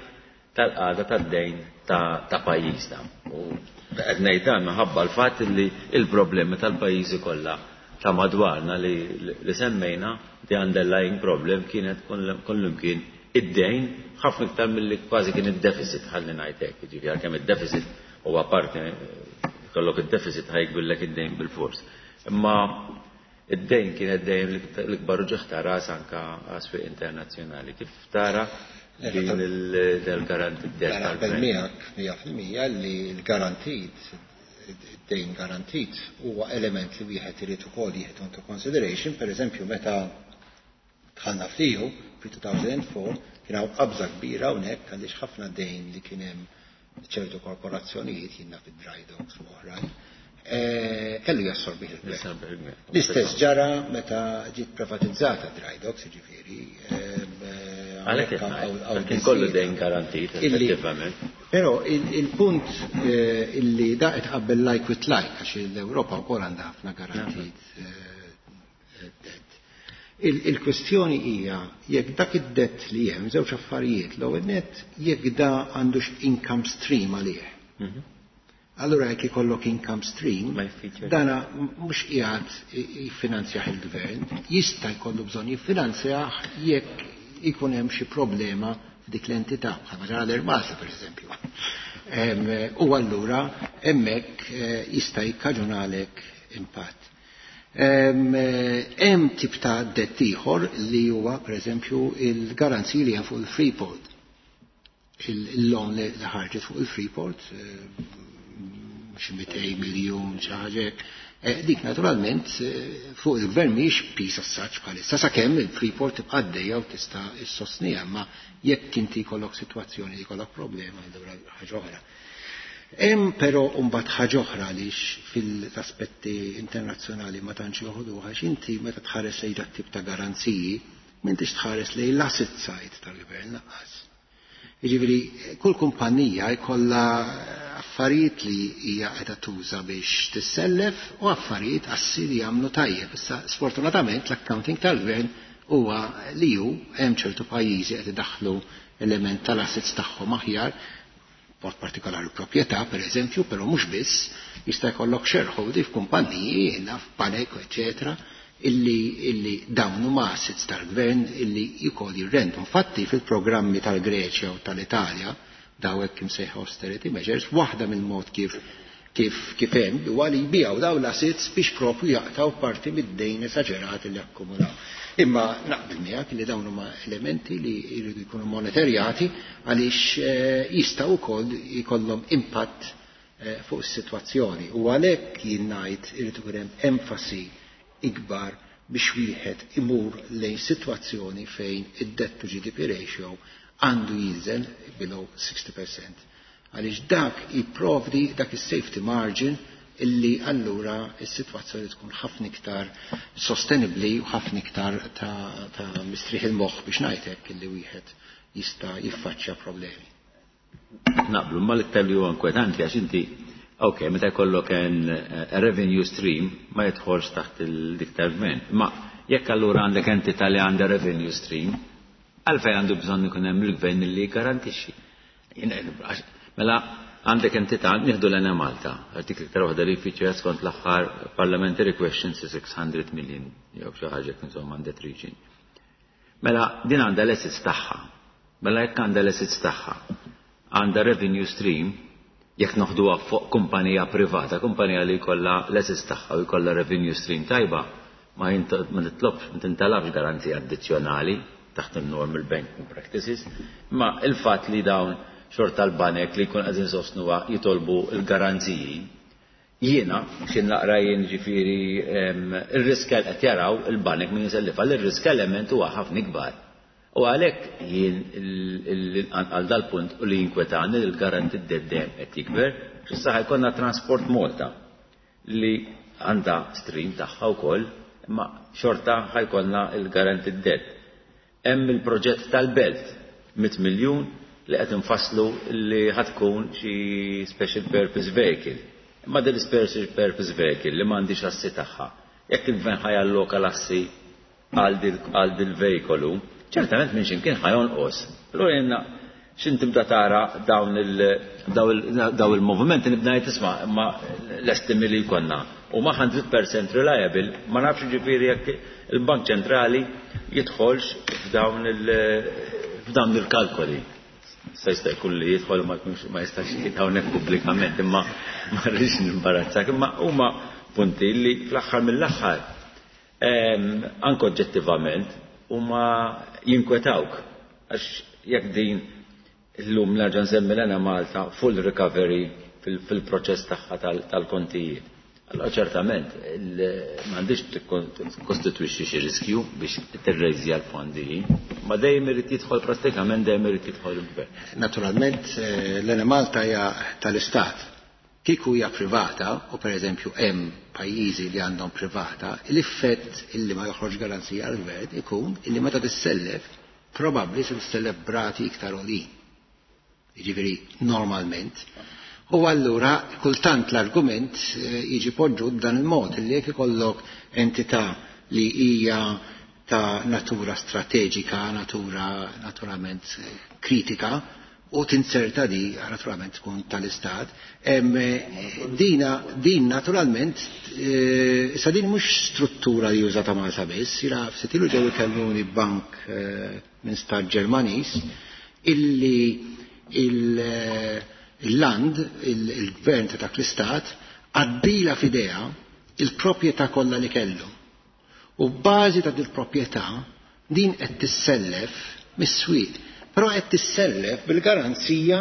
Speaker 1: tal-qagħda tad-dejn ta' pajjiżna. U qed ngħid dan minħabba l-fatt li il-problemi tal-pajjiżi kollha ta' madwarna li semmejna, the underlying problem kienet kollimkien id-dejn ħafna iktar milli kważi kien id-deficit, ħalli ngħid hekk, jiġifieri għalkemm id-deficit huwa parti kollok id-deficit ħajkbillek id-dejn bil-fors. Imma id-dejn kienet dejjem l-ikbar uġigħ ta' ras anka għas-swieq internazzjonali. Kif tara din il-guaranteed debt?
Speaker 2: Naqbel miegħek 100% li l-guaranteed id-dejn garantit huwa element li wieħed irid ukoll jieħdu into consideration, per eżempju meta dħalna fl-EU fi 2004 kien hawn qabża kbira hawnhekk għaliex ħafna dejn li kien hemm ċertu korporazzjonijiet jiena fid-dry docks u oħrajn, kellu jassorbih il-gvern.
Speaker 1: Jassorbih il-gvern.
Speaker 2: L-istess ġara meta ġiet privatizzata dry docks, jiġifieri,
Speaker 1: Għalhekk
Speaker 2: hawnhekk hawn
Speaker 1: kien kollu
Speaker 2: biżżejjed.
Speaker 1: dejn garantit, effettivament.
Speaker 2: Però il-punt illi da qed tqabbel like with like, għax l-Ewropa wkoll għandha ħafna garantit debt. Il-kwestjoni hija jekk dak id-debt li hemm żewġ affarijiet, l-ewwel nett jekk da għandux income stream għalih. Allura jekk ikollok income stream,
Speaker 1: Ma jfitxer.
Speaker 2: dana mhux qiegħed jiffinanzjah il-gvern, jista' jkollu bżonn jiffinanzjah jekk ikun hemm xi problema f'dik l-entità, bħalma ġara l-Air Malta pereżempju. U allura hemmhekk jista' jikkaġunalek impatt. Hemm tip ta' debt ieħor li huwa pereżempju il-garanziji li hemm fuq il-Freeport. Il-loan li ħarġet fuq il-Freeport, xi 200 miljun xi ħaġa hekk. Dik naturalment fuq il-gvern mhijiex piż assaġġ bħalissa sakemm il-Freeport tibqa' għaddejja u tista' issostniha, imma jekk inti jkollok sitwazzjoni li jkollok problema allura ħaġa oħra. Hemm però mbagħad ħaġa oħra għaliex fil-aspetti internazzjonali ma tantx joħduha, għax inti meta tħares lejn dat tip ta' garanziji m'intix tħares lejn l-asset side tal-gvern lanqas. Jiġifieri kull kumpanija jkollha affarijiet li hija qiegħda tuża biex tissellef u affarijiet assi li jagħmlu tajjeb. Issa sfortunatament l-accounting tal-gvern huwa li hu hemm ċertu pajjiżi qed idaħħlu element tal-assets tagħhom aħjar, mod partikolari proprjetà per eżempju, però mhux biss, jista' jkollok shareholding f'kumpanniji, jiena f'banek, eċetera, illi dawn huma assets tal-gvern illi jkoll jirrendu. Infatti fil-programmi tal-Greċja u tal-Italja, daw hekk imsejħa austerity measures, waħda mill-mod kif hemm huwa li jbiegħu daw l-assets biex propju jaqtaw parti mid-dejn esaġerat li akkumulaw. Imma naqbel miegħek li dawn huma elementi li jridu jkunu monitorjati għaliex jistgħu wkoll jkollhom impatt fuq is-sitwazzjoni. U għalhekk jien ngħid irid ikun hemm enfasi ikbar biex wieħed imur lejn sitwazzjoni fejn id-debt to GDP ratio għandu jinżel below 60%. Għaliex dak jipprovdi dak is-safety margin illi allura is-sitwazzjoni tkun ħafna iktar sostenibbli u ħafna iktar ta' mistrieħ il-moħħ biex ngħidlek illi wieħed jista' jiffaċċja problemi.
Speaker 1: Naqblu, ma l-iktar li huwa inkwetanti għax inti, ok, meta jkollok revenue stream ma jidħolx taħt il-dik tal-gvern. Ma jekk allura għandek entità li għandha revenue stream, għalfejn għandu bżonn ikun hemm il-gvern li jgarantixxi. Mela għandek entità, nieħdu l-Enemalta, artikli iktar waħda li jfittxu skont l-aħħar parliamentary questions 600 million, jew xi ħaġa insomma għandek region. Mela din għandha l-assets tagħha. Mela jekk għandha l-assets tagħha, għandha revenue stream, jekk noħduha fuq kumpanija privata, kumpanija li jkollha l-assets tagħha u jkollha revenue stream tajba, ma titlobx, ma tintalabx garanzija addizzjonali taħt il-normal banking practices, ma il-fatt li dawn xorta l-banek li jkun qegħdin sostnuha jitolbu l-garanziji. Jiena, xin naqra jien ġifieri ir-risk qed jaraw il-banek min jisellifa, l-risk element huwa ħafna ikbar. U għalhekk jien għal dal-punt u li jinkwetani li l-guaranteed debt dejjem qed jikber, x'issa ħajkonna Transport Malta li għandha stream tagħha wkoll, imma xorta ħajkonna il-guaranteed debt. Hemm il-proġett tal-Belt, 100 miljun li qed infasslu li ħatkun xi special purpose vehicle. Imma din special purpose vehicle li m'għandix assi tagħha. Jekk il-gvern ħajalloka l-assi għal dil-vejkolu, ċertament minn x'imkien ħajonqos. Allura jenna x'in tibda tara dawn il-movimenti nibda ngħid isma' imma l-estimi li jkollna. U ma 100% reliable, ma nafx ġifieri jekk il-Bank Ċentrali jidħolx f'dawn il-kalkoli. Se jista' jkun li jidħol ma jkunx ma jistax jgħid hawnhekk pubblikament, imma ma rridx nimbarazzak, imma huma punti li fl-aħħar mill-aħħar anke oġġettivament huma jinkwetawk. Għax jekk din illum nerġa' nsemmi l-Enemalta full recovery fil-proċess tagħha tal-kontijiet. Allora ċertament m'għandix tikkostitwixxi xi riskju biex tirrejżja l-fondi, ma dejjem irid jidħol prattikament dejjem irid jidħol il-gvern.
Speaker 2: Naturalment l-Enemalta hija tal-Istat. Kieku hija privata, u pereżempju hemm pajjiżi li għandhom privata, l-effett illi ma joħroġ garanzija għall-gvern ikun illi meta tissellef probabbli se tissellef brati iktar għolin. Jiġifieri normalment. U allura kultant l-argument jiġi poġġut b'dan il-mod li jekk ikollok entità li hija ta' natura strateġika, natura naturalment kritika, u tinserta di naturalment tkun tal-Istat, din naturalment, issa din mhux struttura li użata Malta biss, jira ftit ilu ġew ikellmuni bank minn stat Ġermaniż illi il-land, il-gvern ta' dak l-istat, għaddila f'idea il-proprjetà kollha li kellu. U b'bażi ta' dil-proprjetà din qed tissellef mis-swieq, però qed tissellef bil-garanzija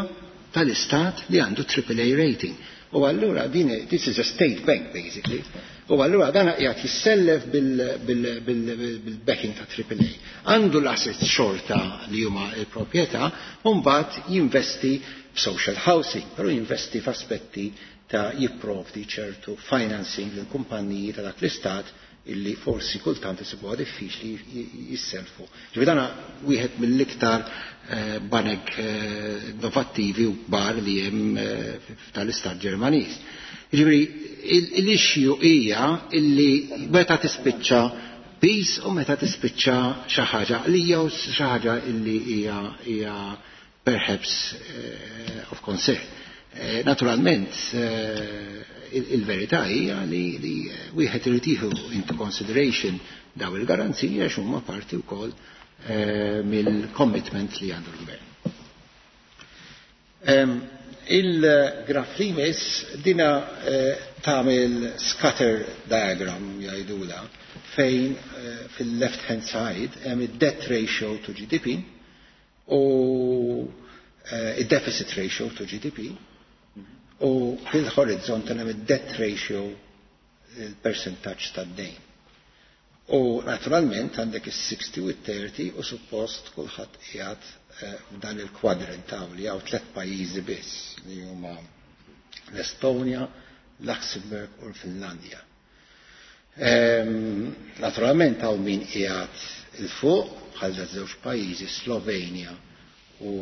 Speaker 2: tal-istat li għandu triple A rating. U allura din, this is a state bank basically. U allura dan qiegħed jissellef bil-backing ta' triple A. Għandu l-assets xorta li huma l-proprjetà, u mbagħad jinvesti social housing, però jinvesti f'aspetti ta' jipprovdi ċertu financing lil kumpanniji ta' dak l-istat illi forsi kultant isibuha diffiċli jisselfu. Ġifieri dan wieħed mill-iktar banek innovattivi u kbar li hemm tal-istat Ġermaniż. Ġifieri l-issue hija illi meta tispiċċa piż u meta tispiċċa xi ħaġa li jew xi ħaġa illi hija perhaps of concern. Naturalment, il-verità hija li wieħed irid jieħu into consideration daw il-garanziji għax huma parti wkoll mill-commitment li għandu l-gvern. Il-graf li jmiss dina tagħmel scatter diagram jgħidula fejn fil-left hand side hemm id-debt ratio to GDP u id-deficit ratio to GDP u fil-horizont hemm id-debt ratio il-percentaġġ tad-dejn. U naturalment għandek is-60 u t-30 u suppost kulħadd qiegħed f'dan il-kwadrant hawn li hawn tliet pajjiżi biss li huma l-Estonja, Luxembourg u l-Finlandja. Naturalment hawn min qiegħed il fuq bħal żewġ pajjiżi Slovenja u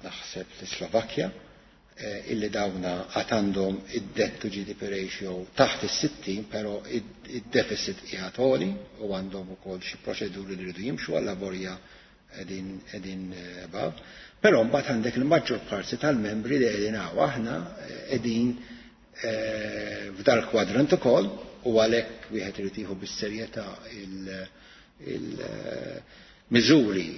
Speaker 2: naħseb l-Slovakkja illi dawna għad għandhom id-debt to GDP ratio taħt is-60, però id-deficit qiegħed għoli u għandhom ukoll xi proċeduri li rridu jimxu għal laborja qegħdin above. Però mbagħad għandek il-maġġor parti tal-membri li qegħdin hawn aħna qegħdin f'dal kwadrant ukoll u għalhekk wieħed irid jieħu bis-serjetà il-miżuri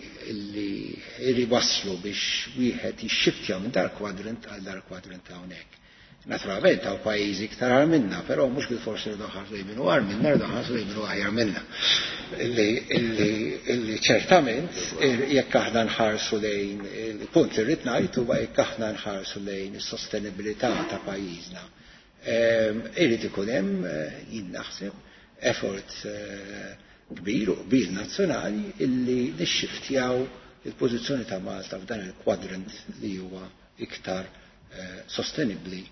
Speaker 2: li waslu biex wieħed jixxiftja minn dar kwadrant għal dar kwadrant hawnhekk. Naturalment hawn pajjiżi iktar agħar minna, però mhux bil-forsi rridu nħarsu lejn min hu agħar minna, rridu nħarsu lejn min hu aħjar minna. Illi ċertament jekk aħna nħarsu lejn il-punt li rrid ngħid huwa jekk aħna nħarsu lejn is-sostenibilità ta' pajjiżna. Irid ikun hemm jien naħseb effort kbir u kbir nazzjonali illi nixxiftjaw il-pożizzjoni ta' Malta f'dan il-kwadrant li huwa iktar sostenibbli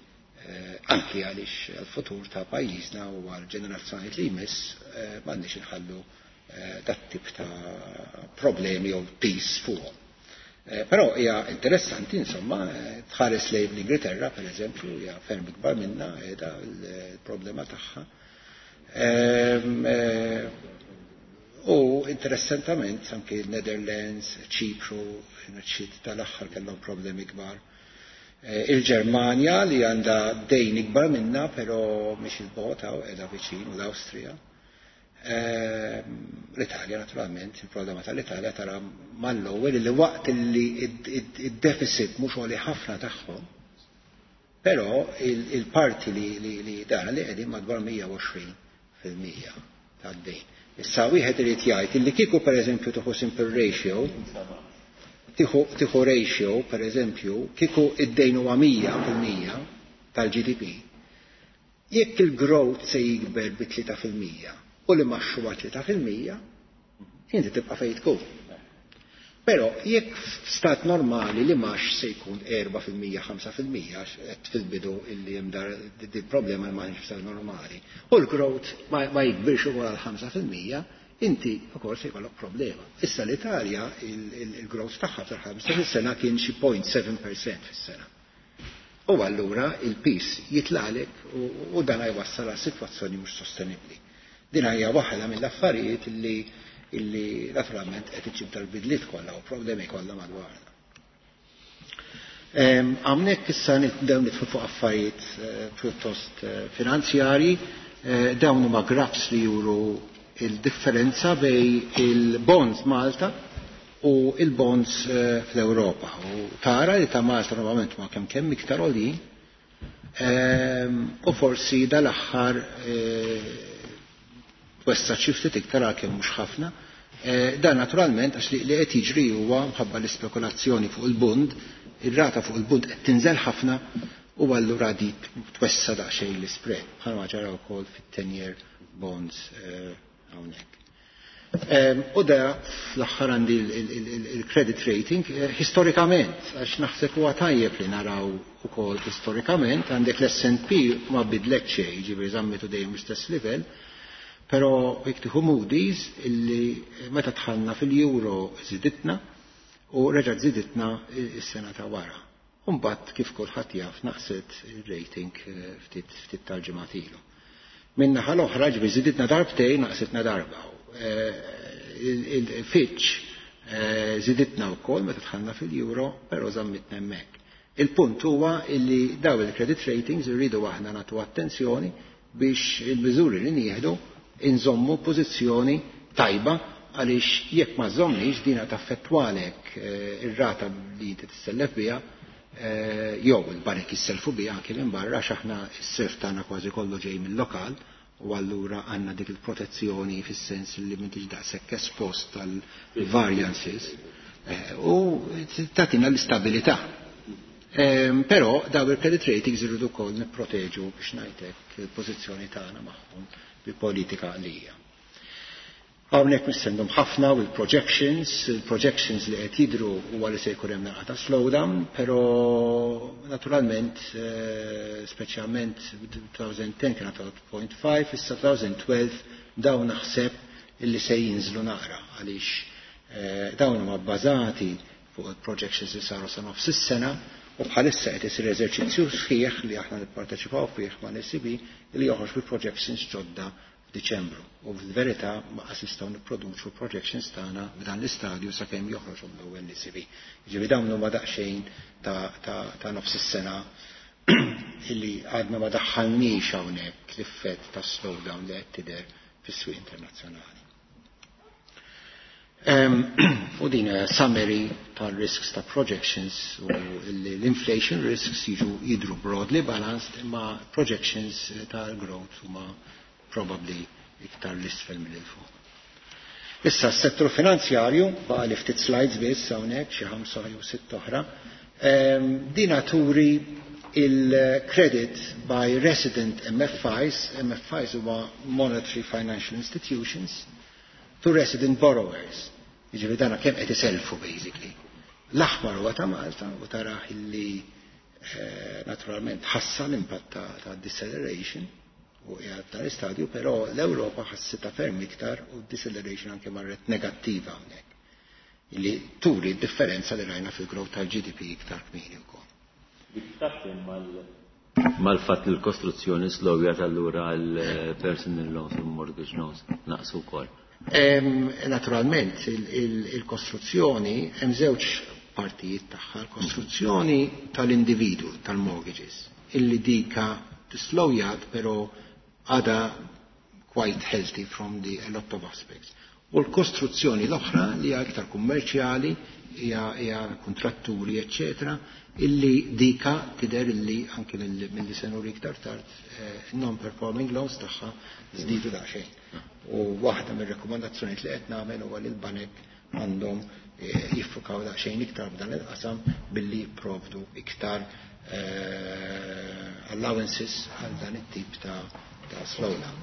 Speaker 2: anki għaliex għal-futur ta' pajjiżna u għal-ġenerazzjoni li jmiss m'għandniex inħallu dat tip ta' problemi jew piż fuqhom. Però hija interessanti insomma tħares lejn l-Ingilterra pereżempju hija ferm ikbar minna qiegħda l-problema tagħha. U interessantament anke il-Netherlands, Ċipru, ċit tal-aħħar kellhom problemi kbar. Il-Ġermanja li għandha dejn ikbar minna, però mhix il-bogħod hawn qiegħda viċin, u l-Awstrija. L-Italja naturalment, il-problema tal-Italja tara mal-ewwel li waqt li id-deficit mhux għoli ħafna tagħhom, però il-parti li dan li qegħdin madwar 120% tad-dejn. Issa wieħed irid jgħid illi kieku pereżempju tieħu simple ratio, tieħu ratio pereżempju, kieku id-dejn huwa 100% tal-GDP, jekk il-growth se jikber bi 3% u li maxxu huwa 3%, inti tibqa' fejn tkun. Però jekk f'stat normali li max se jkun 4%, 5%, għax qed fil-bidu illi hemm dar di problema li m'għandx f'stat normali, u l-growth ma jikbirx ukoll għal 5%, inti ukoll se jkollok problema. Issa l-Italja il-growth tagħha fil-ħamsa sena kien xi 0.7% fis-sena. U allura il-pis jitlaqlek u dan jwassal għal sitwazzjoni mhux sostenibbli. Din hija waħda mill-affarijiet illi naturalment qed iġġib dal-bidliet kollha u problemi kollha madwarna. Hawnhekk issa nibdew nidħlu fuq affarijiet pjuttost finanzjarji, dawn huma graphs li juru il-differenza bej il-bonds Malta u il-bonds fl-Ewropa. U tara li ta' Malta normalment ma kemm kemm iktar għoljin, u forsi dal-aħħar twessa xi ftit iktar għalkemm mhux ħafna. Dan naturalment għax li qed jiġri huwa mħabba l-ispekulazzjoni fuq il-bund, ir-rata fuq il-bund qed tinżel ħafna u allura dik twessa daqsxejn l-spread bħalma ġara wkoll fit-10-year bonds hawnhekk. U da fl-aħħar għandi il-credit rating storikament, għax naħseb huwa tajjeb li naraw ukoll storikament, għandek l-S&P ma bidlet xejn, ġifieri żammitu dejjem l-istess livell, però jekk tieħu Moody's illi meta dħalna fil-euro żiditna u reġgħet żiditna s-sena ta' wara. Umbagħad kif kulħadd jaf naqset il-rating ftit ftit tal-ġimgħat ilu. Min-naħa l-oħra ġifieri żiditna darbtejn, naqsitna darba. Il-Fitch żiditna wkoll meta dħalna fil-euro, però żammitna hemmhekk. Il-punt huwa illi daw il-credit ratings irridu aħna nagħtu attenzjoni biex il-miżuri li nieħdu inżommu pożizzjoni tajba, għaliex jekk ma żommniex dina taffettwalek ir-rata li inti tissellef biha, jew il-banek jisselfu biha anke minn barra, għax aħna s-self tagħna kważi kollu ġej mill-lokal, u allura għandna dik il-protezzjoni fis-sens li m'intix daqshekk espost tal-variances u tagħtina l-istabilità. Però daw il-credit ratings irridu wkoll nipproteġu, biex ngħidlek, il-pożizzjoni tagħna magħhom bi politika għalija. Hawnhekk missendhom ħafna u l-projections, il-projections li qed jidhru huwa li se jkun hemm naqra ta' slowdown, però naturalment, speċjalment 2010 kien 0.5, issa 2012 dawn naħseb illi se jinżlu naqra, għaliex dawn huma bbażati fuq il-projections li saru sa nofs is-sena, u bħalissa qed isir eżerċizzju sħiħ li aħna nipparteċipaw fih ma' l-ECB li joħroġ bi projections ġodda f'Diċembru. U fil-verità ma qas nistgħu nipproduċu projections tagħna f'dan l-istadju sakemm joħroġ l-ewwel l-ECB. Jiġifieri dawn huma daqsxejn ta' nofs is-sena illi għadna ma daħħalniex hawnhekk l-effett ta' slowdown li qed tidher fis-swieq internazzjonali. U din summary tal-risks ta' projections, u l-inflation risks jiġu jidru broadly balanced, imma projections tal-growth huma probably iktar l-isfel mill fuq. Issa s-settur finanzjarju, baqa li ftit slides biss hawnhekk, xi 5 jew 6 oħra. Dina turi il-credit by resident MFIs, MFIs huma Monetary Financial Institutions, to resident borrowers. Jiġifieri dana kemm qed iselfu basically. L-aħmar huwa ta' Malta u taraħ illi naturalment ħassa l-impatt ta' deceleration u qiegħed tal-istadju, però l-Ewropa ħassitha ferm iktar u deceleration anke marret negattiva hawnhekk. Illi turi d-differenza li rajna fil-growth tal-GDP iktar kmieni wkoll.
Speaker 1: Mal-fatt li l-kostruzzjoni slowjat, allura l-personal loans u mortgage loans naqsu wkoll.
Speaker 2: Naturalment, il-kostruzzjoni hemm żewġ partijiet tagħha, l-kostruzzjoni tal-individu, tal-mortgages, illi dika tislowjat però għada quite healthy from the a lot of aspects. U l-kostruzzjoni l-oħra li hija iktar kummerċjali, hija kontratturi, eccetera, illi dika tidher illi anke mill-li se nuri iktar tard, non-performing loans tagħha żdiedu daqsxejn. U waħda mir-rekomandazzjonijiet li qed nagħmel huwa li l-banek għandhom jiffukaw daqsxejn iktar f'dan il-qasam billi jipprovdu iktar allowances għal dan it-tip ta' slowdown.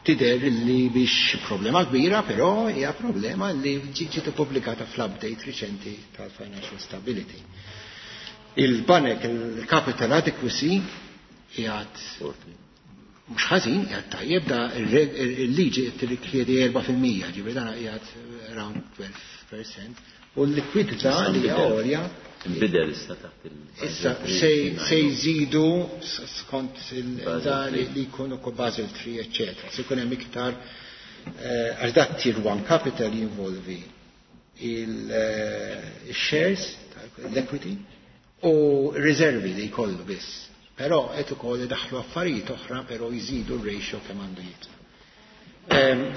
Speaker 2: Tidher li biex problema kbira, però hija problema li ġiet ippubblikata fl-update riċenti tal-Financial Stability. Il-banek, il-capital adequacy, qiegħed mhux ħażin, qiegħed tajjeb, da il-liġi qed tirrikjedi 4%, ġifieri dan qiegħed around 12%, u l-likwidità li hija għolja.
Speaker 1: Nbidel issa taħt il-
Speaker 2: Issa se jżidu skont da li jkunu ko Basel 3, eccetera. Se jkun hemm iktar, għax dat Tier 1 capital jinvolvi il-shares, l-equity, u riservi li jkollu biss. Però qed ukoll idaħħlu affarijiet oħra, però jżidu r-ratio kemm għandu jitla.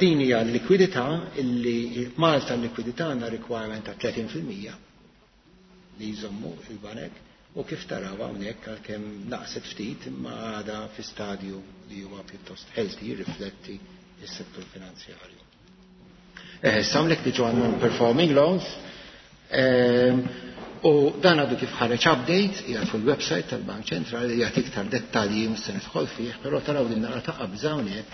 Speaker 2: Din hija l-likwidità illi Malta l-likwidità għandha requirement ta' 30% li jżommu il-banek, u kif taraw hawnhekk għalkemm naqset ftit imma għadha fi stadju li huwa pjuttost healthy, jirrifletti s-settur finanzjarju. Samlek diġu għan non-performing loans, u dan għadu kif ħareġ update, qiegħed fuq il-website tal-Bank Ċentrali, jagħti iktar dettalji mhux se nidħol fih, però taraw din naqra ta' qabża hawnhekk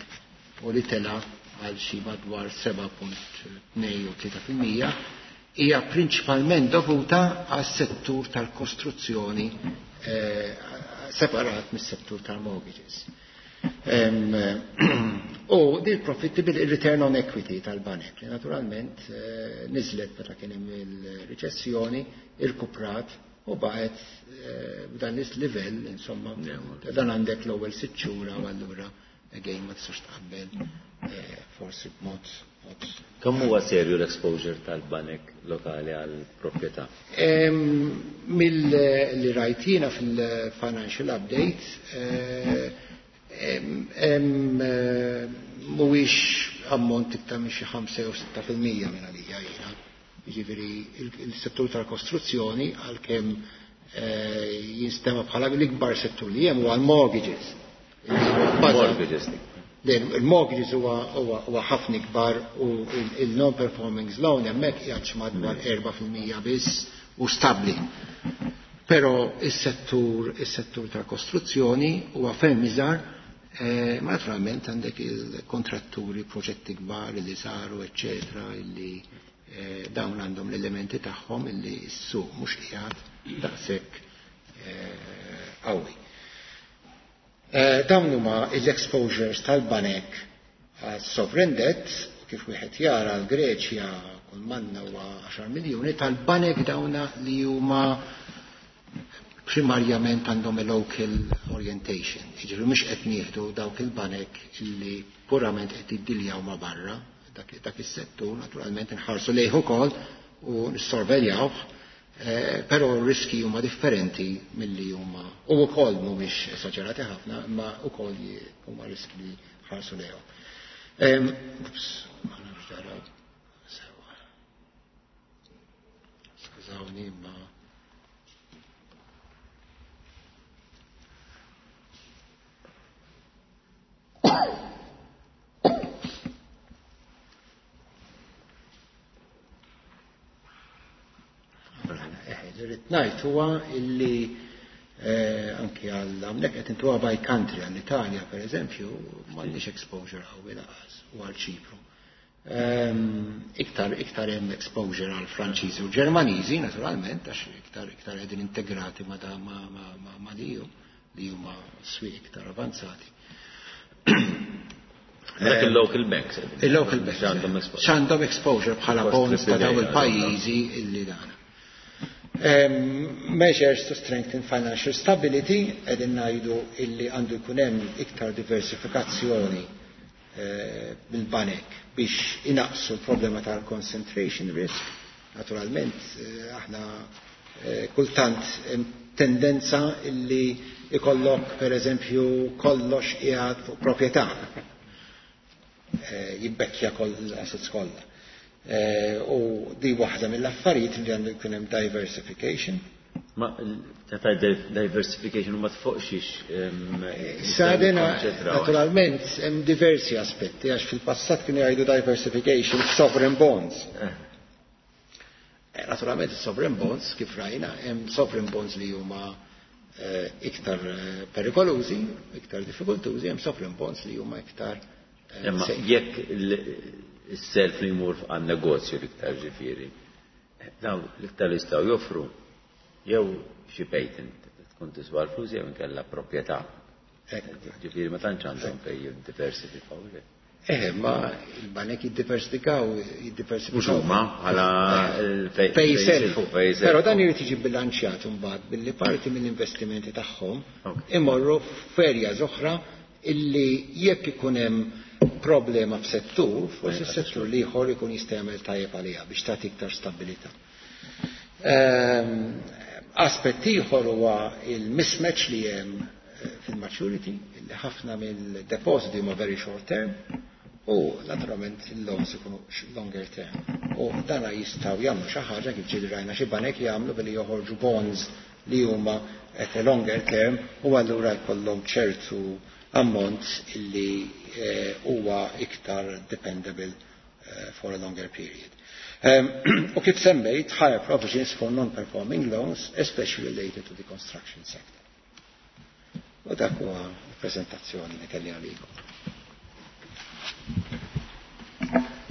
Speaker 2: u li tela għal xi madwar 7.2 u 3% hija prinċipalment dovuta għas-settur tal-kostruzzjoni separat mis-settur tal-mortgages. U din profitability return on equity tal-banek li naturalment niżlet meta kien hemm il-riċessjoni, irkuprat u baqgħet b'dan is-livell, insomma, dan għandek l-ewwel 6 xhur u allura again ma tistax tqabbel forsi b'mod.
Speaker 1: Kemm huwa serju l-exposure tal-banek lokali għal proprjetà?
Speaker 2: Mill-li rajtina fil-financial update, mhuwiex ammont iktar minn xi 5 jew 6% minn għalija jiena. Jiġifieri il-settur tal-kostruzzjoni għalkemm jinstema bħala l-ikbar settur li hemm huwa l-mortgages.
Speaker 1: Mortgages.
Speaker 2: Il-mortgages huwa ħafna ikbar u il-non-performing loan hemmhekk qiegħed madwar 4% biss u stabbli. Però is-settur tal-kostruzzjoni huwa ferm iżgħar, ma naturalment għandek il-kontratturi, proġetti kbar li saru, eċċetera, illi dawn għandhom l-elementi tagħhom illi s-suq mhux qiegħed daqshekk qawwi. Dawn huma l-exposures tal-banek għas-sovereign debt, kif wieħed jara l-Greċja kull manna huwa 10 miljuni tal-banek dawna li huma primarjament għandhom a local orientation. Jiġifieri mhux qed nieħdu dawk il-banek illi purament qed jiddiljaw ma' barra, dak is-settur naturalment inħarsu lejh ukoll u nissorveljawh, però r-riski huma differenti milli huma u wkoll mhumiex esaġerati ħafna, imma wkoll huma riski li ħarsu lejhom. Ups, ma nafx dara sewa. Skużawni imma Irrid ngħid huwa illi anki għal hawnhekk qed intuha by country għall-Italja pereżempju m'għandniex exposure qawwi lanqas u għal Ċipru. Iktar hemm exposure għal Franċiżi u Ġermaniżi naturalment għax iktar qegħdin integrati ma' ma' EU li huma swieq iktar avanzati.
Speaker 1: Dak il-local banks.
Speaker 2: Il-local banks.
Speaker 1: X'għandhom exposure.
Speaker 2: X'għandhom exposure bħala bonds ta' dawn il-pajjiżi illi dan. Measures to strengthen financial stability, qegħdin ngħidu illi għandu jkun hemm iktar diversifikazzjoni mill-banek biex inaqsu l-problema tal-concentration risk. Naturalment, aħna kultant hemm tendenza illi ikollok per eżempju kollox qiegħed fuq proprjetà. Jibbekkja koll l-assets kollha. U di waħda mill-affarijiet li għandu jkun hemm diversification.
Speaker 1: Ma ta' diversification ma tfoqxix.
Speaker 2: Sadena, naturalment, hemm diversi aspetti, għax fil-passat kienu jgħidu diversification sovereign bonds. Naturalment, sovereign bonds, kif rajna, hemm sovereign bonds li huma iktar perikolużi, iktar diffikultużi, hemm sovereign bonds li huma iktar.
Speaker 1: Imma jekk is-self li jmur għan negozju l-iktar ġifieri, daw l-iktar jistgħu joffru jew xi patent tkun tiswa l-flus jew inkella proprjetà. Ġifieri ma tantx għandhom fejn jiddiversifikaw.
Speaker 2: Ma il-banek jiddiversifikaw.
Speaker 1: Mhux huma bħala
Speaker 2: fejn selfu. Però dan irid jiġi bilanċjat imbagħad billi parti mill-investimenti tagħhom imorru f'erja oħra illi jekk ikun hemm problema f'settur, forsi s-settur l-ieħor ikun jista' jagħmel tajjeb għaliha biex tagħti iktar stabilità. Aspett ieħor huwa il-mismatch li hemm fil-maturity, illi ħafna mill-depositi huma very short term u naturalment il-loans ikunu longer term. U dana jistgħu jagħmlu xi ħaġa kif ġieli rajna xi banek jagħmlu billi joħorġu bonds li huma at a longer term u allura jkollhom ċertu ammont illi huwa iktar dependable for a longer period. U kif semmejt, higher provisions for non-performing loans, especially related to the construction sector. U dak huwa l-prezentazzjoni li kelli għalikom.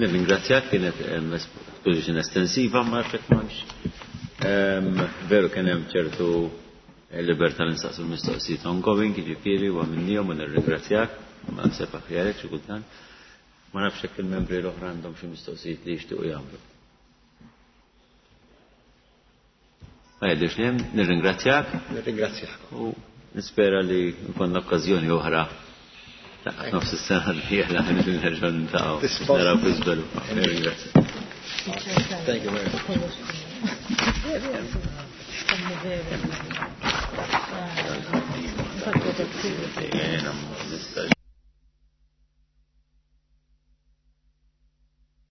Speaker 1: Nirringrazzjak, kienet exposition estensiva, ma nafx m'hemmx. Veru kien hemm ċertu libertà li nsaqsu l-mistoqsijiet ongoing, jiġifieri u għamilnihom u nirringrazzjak, ma naħseb aħjar hekk xi kultant. Ma nafx jekk il-membri l-oħra għandhom xi mistoqsijiet li jixtiequ jagħmlu. Ma jidhirx li hemm, nirringrazzjak.
Speaker 2: Nirringrazzjak.
Speaker 1: U nispera li nkollna okkażjoni oħra nofs is-sena d-dieħla li nerġgħu niltaqgħu naraw fi żvilupp. Nirringrazzjak.
Speaker 2: Thank you very much.
Speaker 1: Jiena ma nistax.